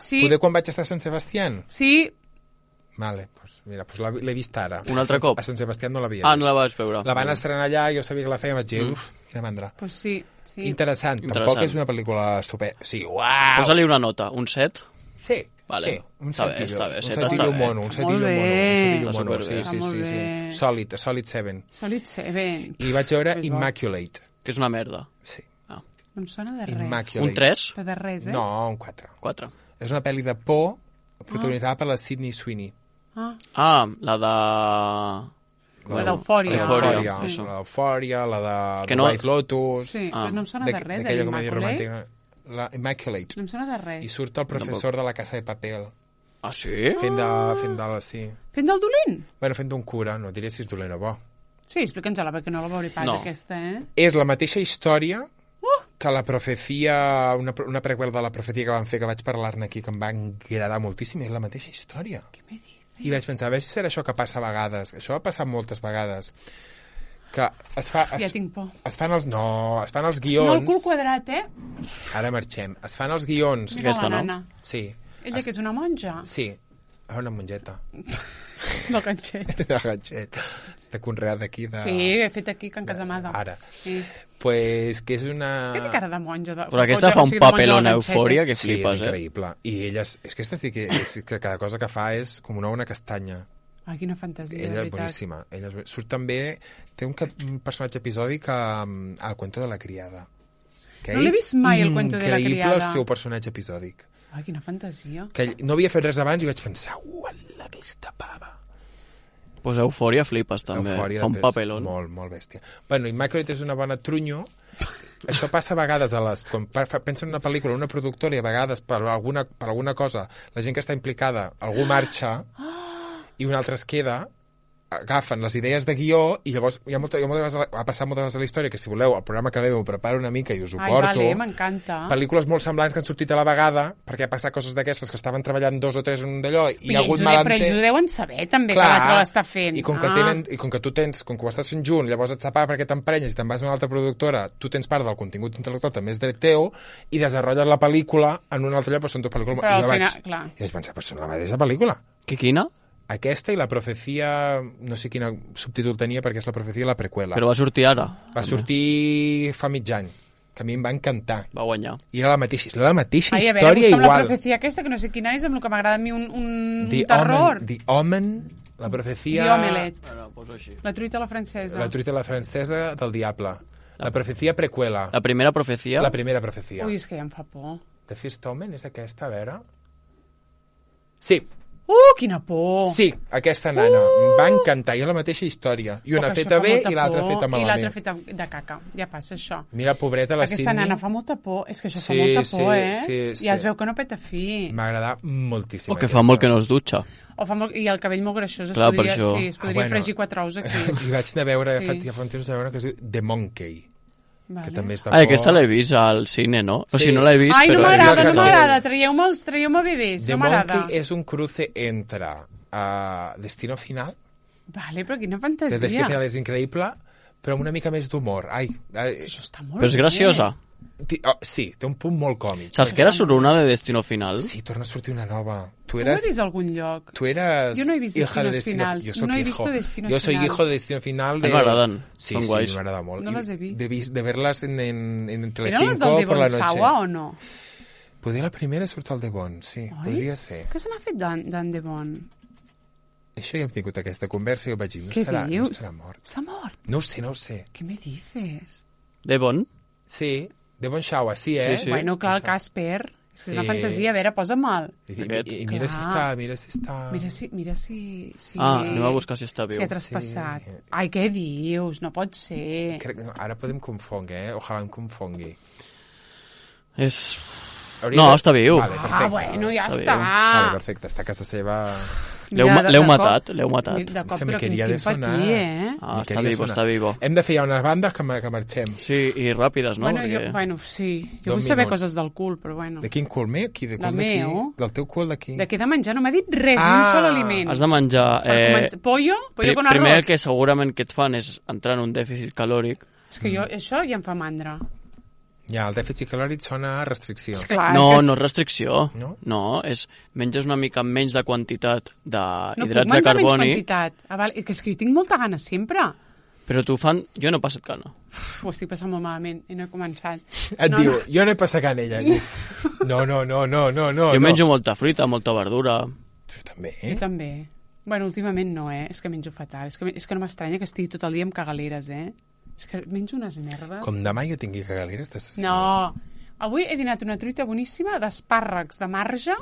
Speaker 2: Sí.
Speaker 1: Poder quan vaig estar a Sant Sebastián?
Speaker 2: Sí.
Speaker 1: Vale, l'he vist ara.
Speaker 3: Un altre cop?
Speaker 1: A Sant Sebastián no l'havia vist.
Speaker 3: No la vaig veure.
Speaker 1: La van estrenar allà, jo sabia que la feia, vaig dir, quina mandra.
Speaker 2: Pues sí.
Speaker 1: Interessant. Tampoc és una pel·lícula estupenda. Sí, uau!
Speaker 3: Posa-li una nota, un 7.
Speaker 1: Sí.
Speaker 3: Vale.
Speaker 1: Sí, un
Speaker 3: Està bé,
Speaker 1: setillo.
Speaker 3: està bé,
Speaker 1: Un
Speaker 3: Zeta
Speaker 1: setillo
Speaker 3: està bé.
Speaker 1: mono, un
Speaker 2: Està
Speaker 1: setillo
Speaker 2: molt
Speaker 1: mono.
Speaker 2: bé.
Speaker 1: Un setillo
Speaker 3: Està
Speaker 1: mono,
Speaker 3: superbé.
Speaker 1: sí.
Speaker 2: Molt bé.
Speaker 1: Solid 7.
Speaker 2: Solid 7.
Speaker 1: I vaig veure
Speaker 2: És bo.
Speaker 1: Immaculate.
Speaker 3: Que és una merda.
Speaker 1: Sí.
Speaker 3: Ah.
Speaker 2: No em sona de res.
Speaker 1: Immaculate.
Speaker 3: Un 3?
Speaker 2: Però de res, eh?
Speaker 1: No, un 4.
Speaker 3: 4.
Speaker 1: És una pel·li de por protagonitzada per la Sydney Sweeney.
Speaker 3: Ah, la de...
Speaker 2: La d'Eufòria.
Speaker 3: Eufòria,
Speaker 2: Sí.
Speaker 1: La d'Eufòria, la de
Speaker 3: Que no-
Speaker 1: White Lotus...
Speaker 2: Sí,
Speaker 3: Ah.
Speaker 2: però no em sona de res,
Speaker 1: d'aquella
Speaker 2: eh,
Speaker 1: comèdia
Speaker 2: Immaculate.
Speaker 1: romàntica. La Immaculate.
Speaker 2: No em sona de res.
Speaker 1: I surt el professor de la Casa de Papel.
Speaker 3: Ah, sí?
Speaker 1: Fent de sí.
Speaker 2: Fent del dolent?
Speaker 1: Bueno, fent d'un cura, no diré si és dolent o bo.
Speaker 2: Sí, explica'ns-la, perquè no la veuré pas,
Speaker 3: No.
Speaker 2: aquesta, eh?
Speaker 1: És la mateixa història que la profecia, una prequel de la profecia que van fer, que vaig parlar-ne aquí, que em va agradar moltíssim, és la mateixa història.
Speaker 2: Què me dius?
Speaker 1: I vaig pensar, a veure si serà això que passa a vegades. Això ha passat moltes vegades. Que
Speaker 2: Ja tinc por.
Speaker 1: es fan els
Speaker 2: No,
Speaker 1: guions...
Speaker 2: el cul quadrat, eh?
Speaker 1: Ara marxem. Es fan els guions...
Speaker 2: Mira
Speaker 3: Aquesta,
Speaker 2: la
Speaker 3: no?
Speaker 2: nana.
Speaker 1: Sí.
Speaker 2: Ella que és una monja?
Speaker 1: Sí. Una monjeta.
Speaker 2: Del ganxet.
Speaker 1: De ganxet. De conreat d'aquí. De...
Speaker 2: Sí, he fet aquí, Can Casamada.
Speaker 1: Ara.
Speaker 2: Sí.
Speaker 1: Pues que és una...
Speaker 2: Què té cara de monja?
Speaker 3: Però aquesta fa un papelón a Eufòria que
Speaker 1: Sí,
Speaker 3: flipes,
Speaker 1: és increïble. I ella, és que aquesta sí que cada cosa que fa és com una castanya.
Speaker 2: Ai, quina fantasia, de
Speaker 1: Ella és
Speaker 2: veritat.
Speaker 1: boníssima. Surt també... Té un personatge episòdic al Cuento de la criada. Que
Speaker 2: No l'he vist mai, el Cuento de la
Speaker 1: increïble
Speaker 2: criada.
Speaker 1: el seu personatge episòdic.
Speaker 2: Ai, quina fantasia.
Speaker 1: Que no havia fet res abans i vaig pensar, uala, aquesta pava.
Speaker 3: Pues Eufòria flipes, també. Fa un papelón.
Speaker 1: Molt, molt bèstia. Bueno, Immaculate és una bona trunyo. Això passa a vegades quan pensa en una pel·lícula, una productora, i a vegades per alguna cosa, la gent que està implicada, algú marxa i un altre es queda, agafen les idees de guió i llavors ha passat moltes vegades a la història que si voleu, el programa que ve ho preparo una mica i us ho porto.
Speaker 2: Ai, vale, m'encanta.
Speaker 1: Pel·lícules molt semblants que han sortit a la vegada perquè ha passat coses d'aquestes que estaven treballant 2 o 3 en un d'allò i hi ha hagut
Speaker 2: Però ells ho deuen saber també,
Speaker 1: clar,
Speaker 2: que l'altre l'està fent.
Speaker 1: I com que tu tens, com que ho estàs fent junt, llavors et separa perquè t'emprenyes i te'n vas a una altra productora, tu tens part del contingut intel·lectual, també és dret teu, i desenrotlles la pel·lícula en un altre lloc, però són dues pel·lícules.
Speaker 2: Però
Speaker 1: I jo
Speaker 2: al final,
Speaker 1: vaig pensar, però són la mateixa pel·lícula.
Speaker 3: Quina?
Speaker 1: Aquesta i la profecia, no sé quin subtítol tenia perquè és la profecia i la preqüela.
Speaker 3: Però va sortir ara.
Speaker 1: Va sortir fa mig any, que a mi em va encantar.
Speaker 3: Va guanyar.
Speaker 1: I era la mateixa
Speaker 2: Ai, a veure,
Speaker 1: història
Speaker 2: busca'm
Speaker 1: igual.
Speaker 2: la profecia aquesta, que no sé quina és, amb el que m'agrada a mi un
Speaker 1: The
Speaker 2: terror.
Speaker 1: Omen, The Omen, la profecia...
Speaker 2: The Omelette.
Speaker 3: Bueno, poso així.
Speaker 2: La truita a la francesa.
Speaker 1: La truita a la francesa del diable. La profecia preqüela.
Speaker 3: La primera profecia...
Speaker 1: La primera profecia.
Speaker 2: Ui, és que ja em fa por.
Speaker 1: The First Omen és aquesta, a veure... Sí,
Speaker 2: Quina por!
Speaker 1: sí, aquesta nana. Em va encantar. I és la mateixa història. I una
Speaker 2: Oh, que això
Speaker 1: feta
Speaker 2: fa
Speaker 1: bé
Speaker 2: molta
Speaker 1: i l'altra
Speaker 2: por.
Speaker 1: feta
Speaker 2: I l'altra
Speaker 1: malament.
Speaker 2: feta de caca. Ja passa això.
Speaker 1: Mira, pobreta, la
Speaker 2: Aquesta
Speaker 1: Sydney.
Speaker 2: nana fa molta por. És que això fa
Speaker 1: Sí,
Speaker 2: molta
Speaker 1: sí,
Speaker 2: por, eh?
Speaker 1: sí,
Speaker 2: Ja es
Speaker 1: sí.
Speaker 2: veu que no peta fi.
Speaker 1: M'ha agradat moltíssim.
Speaker 3: O que fa molt que no es dutxa.
Speaker 2: O fa molt... I el cabell molt greixós.
Speaker 3: Clar, per
Speaker 2: podria,
Speaker 3: això.
Speaker 2: sí, es podria fregir 4 ous aquí.
Speaker 1: I vaig anar a veure,
Speaker 2: Sí.
Speaker 1: ja fa un temps, que es diu The Monkey,
Speaker 2: Vale.
Speaker 1: que també està
Speaker 3: Ai, aquesta l'he vist al cine, no? O
Speaker 1: Sí.
Speaker 3: sigui, no l'he vist,
Speaker 2: Ai, no
Speaker 3: però...
Speaker 2: m'agrada, no
Speaker 1: Jo-
Speaker 2: m'agrada. Traieu-me bebès,
Speaker 1: The
Speaker 2: no m'agrada.
Speaker 1: Monkey és un cruce entre Destino Final,
Speaker 2: Vale, però quina
Speaker 1: que Destino
Speaker 2: fantasia.
Speaker 1: Final és increïble, però amb una mica més d'humor.
Speaker 2: Això està molt
Speaker 3: Però és
Speaker 2: bé.
Speaker 3: graciosa.
Speaker 1: Sí, té un punt molt còmic.
Speaker 3: Saps que era sobre una de Destino Final?
Speaker 1: Sí, torna a sortir una nova.
Speaker 2: Tu ho he vist a algun lloc?
Speaker 1: Tú eras
Speaker 2: Yo no he visto
Speaker 1: hija de
Speaker 2: Destinos Finals.
Speaker 1: Yo soy
Speaker 2: No he
Speaker 1: hijo.
Speaker 2: visto Destinos
Speaker 1: Yo soy
Speaker 2: Final.
Speaker 1: hijo de Destino Final.
Speaker 3: A mi m'agraden,
Speaker 1: Sí,
Speaker 3: són
Speaker 1: sí,
Speaker 3: guais.
Speaker 1: m'agrada molt.
Speaker 2: No
Speaker 1: I
Speaker 2: les he vist.
Speaker 1: De verlas en
Speaker 2: Eren les
Speaker 1: Telecinco
Speaker 2: del
Speaker 1: por la
Speaker 2: Devon
Speaker 1: noche.
Speaker 2: Sawa o no?
Speaker 1: Poder la primera surt al Devon, sí,
Speaker 2: Oi?
Speaker 1: podria ser.
Speaker 2: Què se n'ha fet d'en Devon?
Speaker 1: Això ja hem tingut aquesta conversa i jo vaig dir, no
Speaker 2: Què
Speaker 1: estarà,
Speaker 2: dius?
Speaker 1: no estarà mort.
Speaker 2: Està mort?
Speaker 1: No ho sé, no ho sé.
Speaker 2: Què me dices?
Speaker 3: Devon?
Speaker 1: Sí, Devon Sawa, sí, eh?
Speaker 3: Sí, sí.
Speaker 2: Bueno, clar, el Casper. És que és una
Speaker 1: Sí.
Speaker 2: fantasia. A veure, posa'm-el.
Speaker 1: I mira si
Speaker 2: Clar.
Speaker 1: està, mira si està...
Speaker 2: Mira si...
Speaker 3: Ah, anem a buscar si està viu.
Speaker 2: Si ha traspassat.
Speaker 1: Sí.
Speaker 2: Ai, què dius? No pot ser.
Speaker 1: Crec que ara podem confondre, Ojalà em confongui.
Speaker 3: És...
Speaker 1: Hauria
Speaker 3: No, està viu.
Speaker 1: Vale, perfecte.
Speaker 2: Ah, bueno, ja
Speaker 3: Està
Speaker 2: està.
Speaker 3: viu.
Speaker 1: Vale, perfecte, està a casa seva...
Speaker 3: L'heu
Speaker 2: Mira, de
Speaker 3: l'heu
Speaker 2: cop-
Speaker 3: matat, l'heu matat.
Speaker 2: De cop,
Speaker 1: Que me
Speaker 2: però
Speaker 1: quería
Speaker 2: quin
Speaker 1: de sonar.
Speaker 2: patí, eh?
Speaker 3: Ah,
Speaker 1: Me
Speaker 3: està
Speaker 1: quería
Speaker 3: vivo,
Speaker 1: sonar.
Speaker 3: està vivo.
Speaker 1: Hem de fer ja unes bandes que marxem.
Speaker 3: Sí, i ràpides, no?
Speaker 2: Bueno,
Speaker 3: Perquè...
Speaker 2: sí. Jo
Speaker 1: 2
Speaker 2: vull saber
Speaker 1: minuts.
Speaker 2: coses del cul, però bueno.
Speaker 1: De quin cul meu? Qui, de
Speaker 2: La
Speaker 1: cul d'aquí?
Speaker 2: meu.
Speaker 1: Del teu cul d'aquí?
Speaker 2: De què he de menjar? No m'ha dit res, ni un sol aliment.
Speaker 3: Has de menjar...
Speaker 2: Per començar, pollo con arroz.
Speaker 3: Primer el que segurament que et fan és entrar en un dèficit calòric.
Speaker 2: És que jo, això ja em fa mandra.
Speaker 1: Ja, el dèficit calòric sona a restricció.
Speaker 2: Clar,
Speaker 3: No,
Speaker 2: és que
Speaker 3: no és restricció.
Speaker 1: No?
Speaker 3: No, és menges una mica menys de quantitat
Speaker 2: no puc
Speaker 3: d'hidrats de
Speaker 2: menjar menys
Speaker 3: carboni.
Speaker 2: quantitat. Ah, vale. És que jo tinc molta gana sempre.
Speaker 3: Però tu fan... Jo no he passat gana.
Speaker 2: Ho estic passant molt malament i no he començat.
Speaker 1: Diu, jo no he passat gana, ella. No.
Speaker 3: Jo menjo molta fruita, molta verdura.
Speaker 1: Tu també,
Speaker 2: Jo també. Bueno, últimament no, És que menjo fatal. És que no m'estranya que estigui tot el dia amb cagaleres, És que menjo unes merdes.
Speaker 1: Com demà jo tingui cagaleres, t'estàs...
Speaker 2: No. Avui he dinat una truita boníssima d'espàrrecs de marge.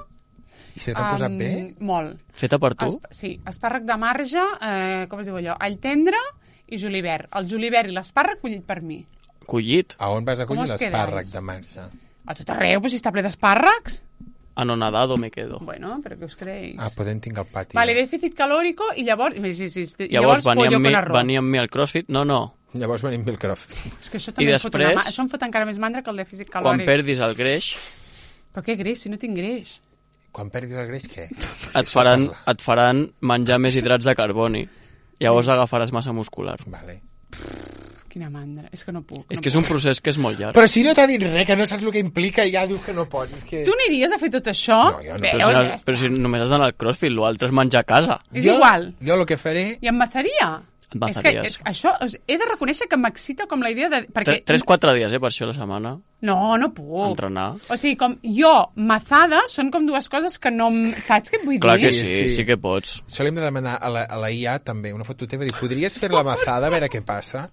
Speaker 1: I se t'ha posat bé?
Speaker 2: Molt.
Speaker 3: Feta per tu?
Speaker 2: Sí, espàrrec de marge, com es diu allò? All tendre i julivert. El julivert i l'espàrrec collit per mi.
Speaker 3: Collit?
Speaker 1: A on vas a collir
Speaker 2: Com us
Speaker 1: l'espàrrec
Speaker 2: quedáis?
Speaker 1: de marge?
Speaker 2: A tot arreu, però si està ple d'espàrrecs.
Speaker 3: Anonadado me quedo.
Speaker 2: Bueno, però què us creéis?
Speaker 1: Podem tinc al pati.
Speaker 2: Vale, déficit calórico i llavors...
Speaker 3: Llavors
Speaker 2: pollo con arroz.
Speaker 3: venia amb mi al CrossFit? No.
Speaker 1: Llavors venim pel crof.
Speaker 2: És que això també això em fot encara més mandra que el dèficit calòric.
Speaker 3: Quan perdis el greix...
Speaker 2: Però què greix, si no tinc greix?
Speaker 1: Quan perdis el greix, què?
Speaker 3: Et faran menjar més hidrats de carboni. Llavors agafaràs massa muscular.
Speaker 1: Vale.
Speaker 2: Quina mandra, és que no puc.
Speaker 3: És que és un procés que és molt llarg.
Speaker 1: Però si no t'ha dit res, que no saps el que implica, ja dius que no pots. És que...
Speaker 2: Tu aniries a fer tot això?
Speaker 1: No, jo no.
Speaker 3: Però si només has d'anar al CrossFit, l'altre és menjar a casa.
Speaker 2: És igual.
Speaker 1: Jo el que faré...
Speaker 2: I em mazaria.
Speaker 3: Et mazaries.
Speaker 2: És que això, he de reconèixer que m'excita com la idea de... Perquè...
Speaker 3: 3-4 dies, per això a la setmana.
Speaker 2: No puc.
Speaker 3: Entrenar.
Speaker 2: O sigui, com jo, mazada, són com dues coses que no... Saps què et vull dir?
Speaker 3: Clar que sí que pots.
Speaker 1: Això li hem de demanar a la IA també, una foto teva, dir, podries fer la mazada a veure què passa?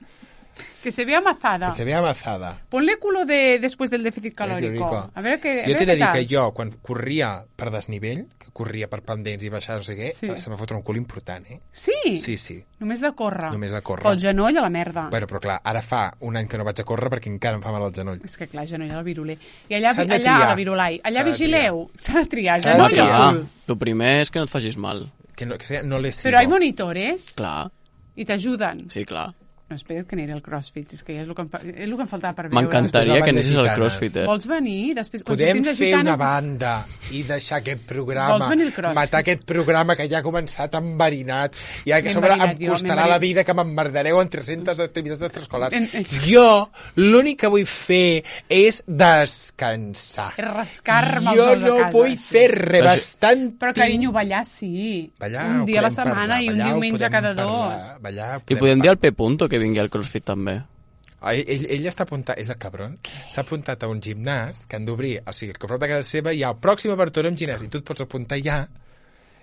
Speaker 2: Que se vea mazada.
Speaker 1: Que se vea mazada.
Speaker 2: Ponle culo después del déficit calórico. A veure què...
Speaker 1: Jo t'he de dir que jo, quan corria per desnivell, que corria per pendents i baixar no sé què,
Speaker 2: sí.
Speaker 1: se m'ha fotut un cul important,
Speaker 2: Sí?
Speaker 1: Sí.
Speaker 2: Només de córrer.
Speaker 1: Només de córrer.
Speaker 2: El genoll a la merda.
Speaker 1: Bueno, però clar, ara fa un any que no vaig a córrer perquè encara em fa mal el genoll.
Speaker 2: És que clar, genoll al viruler. I allà a la virulai. Allà vigileu. S'ha de triar.
Speaker 1: S'ha de
Speaker 2: Genoll
Speaker 1: triar.
Speaker 2: al cul.
Speaker 3: El primer és que no et facis mal.
Speaker 1: Que no les
Speaker 2: Però hay monitores
Speaker 3: Clar,
Speaker 2: i t'ajuden.
Speaker 3: sí, clar.
Speaker 2: No, espera't que aniré al CrossFit, és que ja és el que em faltava per veure.
Speaker 3: M'encantaria que anessis al
Speaker 1: Gitanes.
Speaker 3: CrossFit,
Speaker 2: Vols venir? Després,
Speaker 1: podem fer una banda i deixar aquest programa,
Speaker 2: Vols venir al CrossFit?
Speaker 1: matar aquest programa que ja ha començat enverinat, ja que
Speaker 2: Ben
Speaker 1: sobre
Speaker 2: enverinat,
Speaker 1: em costarà la vida que m'emmerdareu en 300 activitats extraescolars.
Speaker 2: En-
Speaker 1: Jo l'únic que vull fer és descansar.
Speaker 2: És rascar-me els
Speaker 1: Jo
Speaker 2: ous a
Speaker 1: no
Speaker 2: casa,
Speaker 1: vull
Speaker 2: sí.
Speaker 1: fer res, bastant...
Speaker 2: Però, carinyo, ballar sí.
Speaker 1: Ballar,
Speaker 2: un dia a la
Speaker 1: podem
Speaker 2: setmana
Speaker 1: parlar,
Speaker 2: i un
Speaker 1: ballar,
Speaker 2: diumenge
Speaker 1: podem
Speaker 2: cada
Speaker 1: parlar,
Speaker 2: dos.
Speaker 1: ballar,
Speaker 3: I podem dir al P. Punto que vingui al CrossFit també.
Speaker 1: Ell està apuntat, és el cabron, s'ha apuntat a un gimnàs que han d'obrir, o sigui, que a prop de casa seva hi ha el pròxim obertura en gimnàs i tu et pots apuntar ja,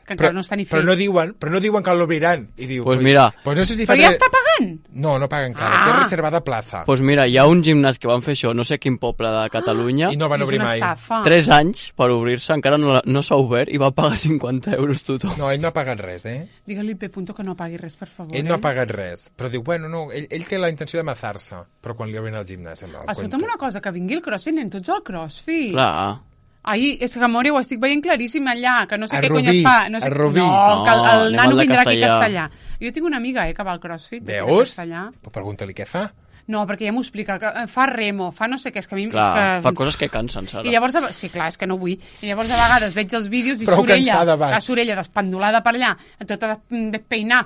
Speaker 2: Que encara no està ni fet.
Speaker 1: però no diuen que l'obriran. I diu,
Speaker 3: Pues mira.
Speaker 1: pues no sé si
Speaker 2: Però ja està pagant?
Speaker 1: No paga encara, té reservada plaça.
Speaker 3: Doncs pues mira, hi ha un gimnàs que van fer això, no sé quin poble de Catalunya,
Speaker 1: I no van
Speaker 2: És
Speaker 1: obrir
Speaker 2: una
Speaker 1: mai.
Speaker 2: estafa.
Speaker 3: 3 anys per obrir-se, encara no s'ha obert i va pagar 50 euros tothom.
Speaker 1: No, ell no ha pagat res,
Speaker 2: Digue-li al P. que no pagui res, per favor.
Speaker 1: Ell no ha pagat res, però diu, bueno, no, ell té la intenció de mazar-se, però quan li obrin el gimnàs...
Speaker 2: Escolta'm una cosa, que vingui el CrossFit, anem tots al CrossFit.
Speaker 3: Clar.
Speaker 2: Ai, és que, amore, ho estic veient claríssim allà, que no sé
Speaker 1: A
Speaker 2: què
Speaker 1: Rubí,
Speaker 2: cony es fa. No, sé...
Speaker 1: a Rubí.
Speaker 2: No, que el
Speaker 3: No, anem
Speaker 2: nano
Speaker 3: al de
Speaker 2: vindrà aquí a
Speaker 3: castellà.
Speaker 2: castellà. Jo tinc una amiga, que va al CrossFit.
Speaker 1: Veus?
Speaker 2: Castellà.
Speaker 1: Pues pregunta-li què fa.
Speaker 2: No, perquè ja m'ho explica, que fa remo, fa no sé què, és que a mi...
Speaker 3: Clar,
Speaker 2: és que...
Speaker 3: fa coses que cansen, Sara.
Speaker 2: I llavors, sí, clar, és que no vull. I llavors a vegades veig els vídeos i
Speaker 1: Prou
Speaker 2: surt ella,
Speaker 1: cansada vaig.
Speaker 2: la surt ella despendolada per allà, tota despeinar.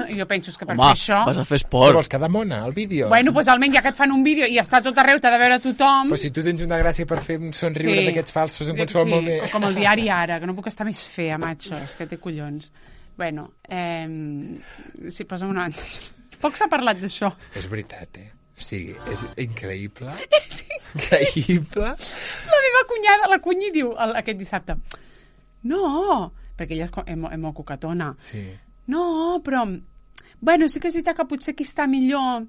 Speaker 2: I jo penso que per
Speaker 3: Home,
Speaker 2: fer això...
Speaker 3: vas a fer
Speaker 1: Què
Speaker 3: esport.
Speaker 1: vols, quedar mona, al vídeo?
Speaker 2: Bueno, doncs almenys ja que et fan un vídeo i està a tot arreu, t'ha de veure tothom...
Speaker 1: Pues si tu tens una gràcia per fer un somriure d'aquests falsos en qualsevol moment...
Speaker 2: o com el diari Ara, que no puc estar més fea, macho, és que té collons. Bueno, sí, posa'm una banda. Poc s'ha parlat d'això.
Speaker 1: És veritat, O sigui, és increïble.
Speaker 2: Sí.
Speaker 1: Increïble.
Speaker 2: La meva cunyada, la cunyi, diu aquest dissabte, no, perquè ella és molt coquetona.
Speaker 1: Sí.
Speaker 2: No, però... Bueno, sí que és veritat que potser qui està millor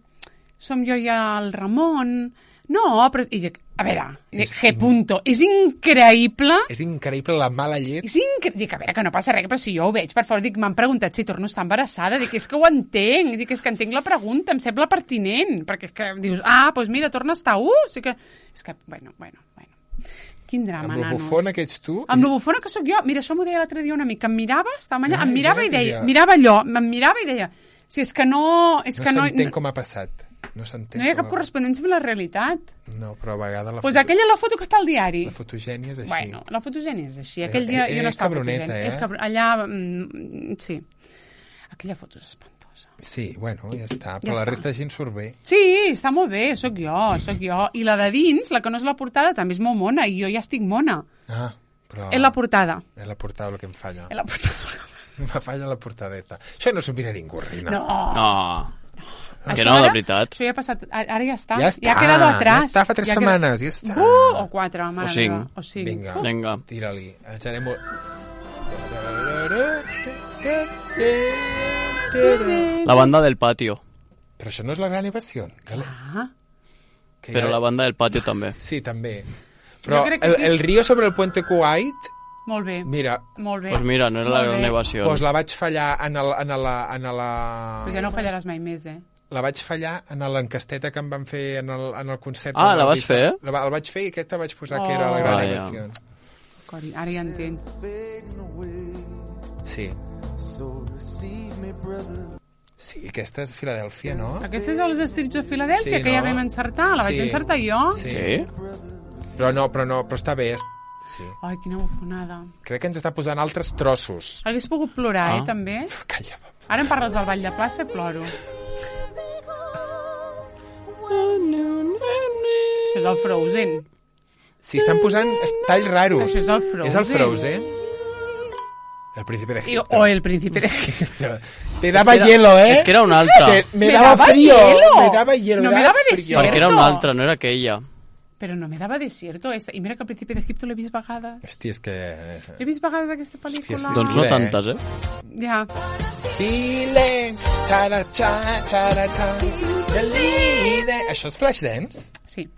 Speaker 2: som jo i el Ramon. No, però... I dic, a veure, G. Punto, és increïble...
Speaker 1: És increïble la mala llet.
Speaker 2: Dic, a veure, que no passa res, però si jo ho veig, per favor, dic, m'han preguntat si torno a estar embarassada, dic, és que ho entenc, dic, és que entenc la pregunta, em sembla pertinent, perquè és que dius, doncs mira, torna a estar, sí que... És que, bueno. Quin drama,
Speaker 1: Amb la
Speaker 2: nanos.
Speaker 1: bufona que ets tu...
Speaker 2: Amb la bufona que sóc jo. Mira, això m'ho deia l'altre dia un amic, que em mirava, estava allà, em mirava i deia,
Speaker 1: ja.
Speaker 2: mirava allò, em mirava i deia, si és que no... És
Speaker 1: No
Speaker 2: que
Speaker 1: s'entén com ha passat. No s'entén.
Speaker 2: no hi ha cap correspondència amb la realitat.
Speaker 1: No, però a vegades
Speaker 2: Doncs aquella és la foto que està al diari.
Speaker 1: la fotogènia és així.
Speaker 2: Bueno, la fotogènia és així. Aquell dia jo no
Speaker 1: és
Speaker 2: estava
Speaker 1: cabroneta,
Speaker 2: fotogènia. Allà, sí. Aquella foto és espantosa.
Speaker 1: Sí, bueno, ja està. Però la resta de gent surt bé.
Speaker 2: Sí, està molt bé, sóc jo. I la de dins, la que no és la portada, també és molt mona, i jo ja estic mona.
Speaker 1: Però...
Speaker 2: És la portada.
Speaker 1: És la portada el que em falla.
Speaker 2: És la portada.
Speaker 1: Me falla la portadeta. Això no s'ho mira ningú, Rina.
Speaker 2: No.
Speaker 3: Que no, de veritat.
Speaker 2: Això ja ha passat, ara ja està.
Speaker 1: Ja està,
Speaker 2: ja ha quedado atrás.
Speaker 1: Ja està, fa 3 setmanes, ja està.
Speaker 2: O 4, mare
Speaker 3: O 5.
Speaker 2: meva. O 5.
Speaker 3: Vinga.
Speaker 1: Tira-li. Ens anem...
Speaker 3: La banda del patio.
Speaker 1: Però això no és la gran evasió.
Speaker 3: Però la banda del patio també.
Speaker 1: Sí, també. Però
Speaker 2: crec que
Speaker 1: el río sobre el puente Kuwait...
Speaker 2: Molt bé.
Speaker 1: Mira.
Speaker 2: Molt bé.
Speaker 3: Pues mira, no era la gran evasió.
Speaker 1: Pues la vaig fallar en la...
Speaker 2: Però ja no fallaràs mai més,
Speaker 1: La vaig fallar en l'encasteta que em van fer en el concert.
Speaker 3: Ah, la vas fer?
Speaker 1: El vaig fer i aquesta vaig posar que era la gran evasió.
Speaker 2: Cori, ara ja entenc.
Speaker 1: Sí. Sí, aquesta és Filadèlfia, no?
Speaker 2: Aquesta és els Streets de Filadèlfia,
Speaker 1: Sí,
Speaker 2: que ja
Speaker 1: no?
Speaker 2: vam encertar. La vaig encertar jo.
Speaker 1: Sí. Però està bé. Sí.
Speaker 2: Ai, quina bufonada.
Speaker 1: Crec que ens està posant altres trossos.
Speaker 2: Hagués pogut plorar, també.
Speaker 1: Calla.
Speaker 2: Ara em parles del ball de plaça i ploro. Això és el Frozen.
Speaker 1: Sí, estan posant talls raros.
Speaker 2: Això és el Frozen.
Speaker 1: És el Frozen? El príncipe de Egipto.
Speaker 2: O el príncipe de Egipto.
Speaker 1: Te daba hielo, ¿eh?
Speaker 3: És que era una altra.
Speaker 1: Me daba frío. Me daba hielo.
Speaker 2: No me daba desierto.
Speaker 3: Perquè era una altra, no era aquella.
Speaker 2: Però no me daba desierto. I mira que el príncipe d'Egipto l'he vist vegades.
Speaker 1: Hòstia, és que...
Speaker 2: He vist vegades aquesta pel·lícula.
Speaker 1: Sí,
Speaker 3: Doncs no tantes,
Speaker 2: Ja.
Speaker 1: Feeling, tara-cha, tara-cha, això és Flashdance?
Speaker 2: Sí.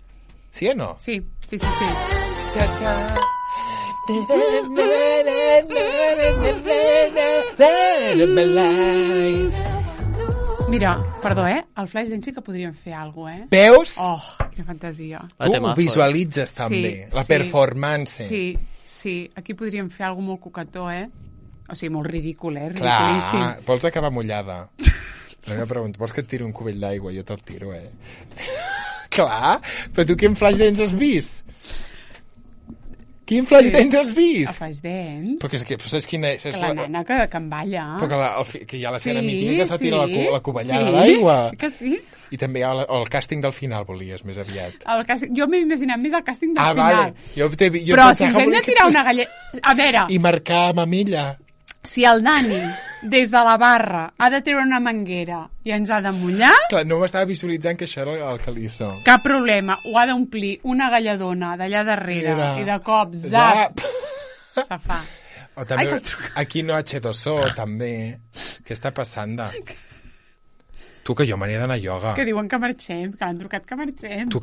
Speaker 1: Sí o no?
Speaker 2: Sí. Mira, perdó, el Flashdance sí que podríem fer alguna cosa,
Speaker 1: Veus?
Speaker 2: Oh, quina fantasia.
Speaker 1: Tu ho visualitzes també, la performance.
Speaker 2: Sí. Aquí podríem fer alguna molt cocató, O sigui, molt ridícul,
Speaker 1: Clar, vols acabar mullada? La meva pregunta, vols que et tiri un cubell d'aigua? Jo te'l tiro, Clar, però tu quin Flashdance has vist? Quin Flashdance has vist?
Speaker 2: El Flashdance?
Speaker 1: Però saps quina és?
Speaker 2: La nena que en balla.
Speaker 1: Però que hi ha l'escena mítica que se tira la cubellada d'aigua.
Speaker 2: Sí que sí.
Speaker 1: I també hi ha el càsting del final, volies, més aviat.
Speaker 2: Jo m'he imaginat més el càsting del final.
Speaker 1: Vale.
Speaker 2: Però si ens hem de tirar una galleta... A veure...
Speaker 1: I marcar mamilla.
Speaker 2: Si el Dani, des de la barra, ha de treure una manguera i ens ha de mullar...
Speaker 1: Clar, no m'estava visualitzant que això era el calisso.
Speaker 2: Cap problema. Ho ha d'omplir una galladona d'allà darrere i de cop, zap, se fa.
Speaker 1: O també, aquí no H2O, també. Què està passant? Tu, que jo m'ania d'anar a ioga.
Speaker 2: Que diuen que marxem, que l'han trucat que marxem.
Speaker 1: Tu,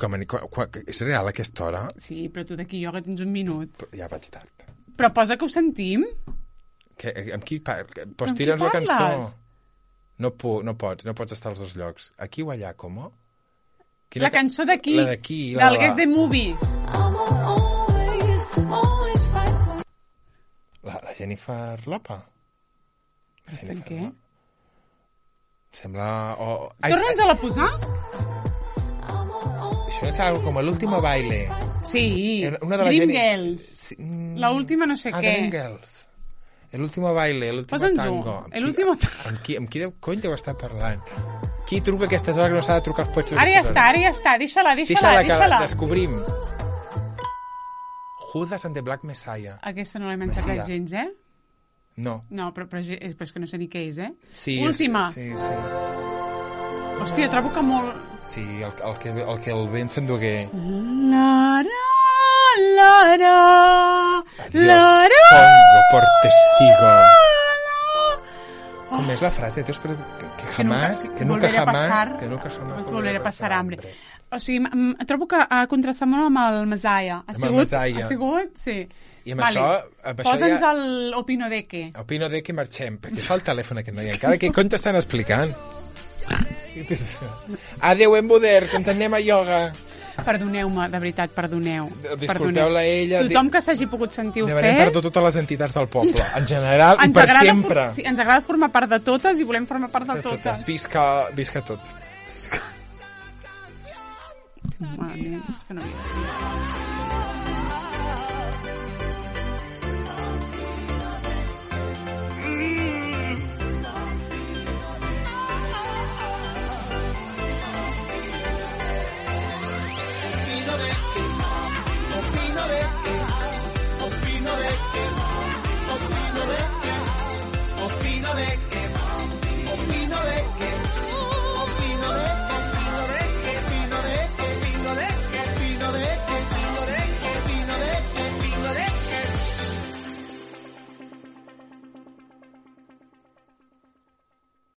Speaker 1: és real aquesta hora?
Speaker 2: Sí, però tu d'aquí ioga tens un minut.
Speaker 1: Ja vaig tard.
Speaker 2: Però posa que ho sentim.
Speaker 1: Amb qui pots tira'ns la cançó? No pots estar als dos llocs. Aquí o allà, com?
Speaker 2: La cançó d'aquí.
Speaker 1: La d'aquí.
Speaker 2: Del Guess the Movie.
Speaker 1: La Jennifer Lopez.
Speaker 2: Per què?
Speaker 1: Sembla...
Speaker 2: Torna'ns a la posar?
Speaker 1: Això és algo com l'último baile.
Speaker 2: Sí,
Speaker 1: Dreamgirls.
Speaker 2: La última no sé què.
Speaker 1: Dreamgirls. El último baile, el último tango. Amb qui cony deu estar parlant? Qui truca a aquestes hores que no s'ha de trucar als puestos?
Speaker 2: Ara ja està. Deixa-la.
Speaker 1: Que la descobrim. Judas and the Black Messiah.
Speaker 2: Aquesta no l'hem encertat gens,
Speaker 1: No.
Speaker 2: No, però és que no sé ni què és,
Speaker 1: Sí,
Speaker 2: última.
Speaker 1: Sí.
Speaker 2: Hòstia, trobo que molt...
Speaker 1: Sí, el que el vent s'endugué. Adiós, pongo por testigo. ¿Cómo es la frase? Que nunca jamás
Speaker 2: volveré a passar hambre. O sigui, trobo que ha contrastat molt amb el Messiah. Ha sigut? Sí.
Speaker 1: I amb això
Speaker 2: posa'ns l'Opino de què.
Speaker 1: Opino de què marxem, perquè és el telèfon aquest noi encara. Què cony t'estan explicant? Adéu, emboders, ens anem a ioga.
Speaker 2: Perdoneu-me, de veritat, perdoneu.
Speaker 1: Disculpeu-la a ella.
Speaker 2: Tothom que s'hagi pogut sentir ofès...
Speaker 1: Demanem perdó a totes les entitats del poble, en general i per sempre.
Speaker 2: Sí, ens agrada formar part de totes i volem formar part de totes.
Speaker 1: Visca tot.
Speaker 2: Malament, és que no havia de dir.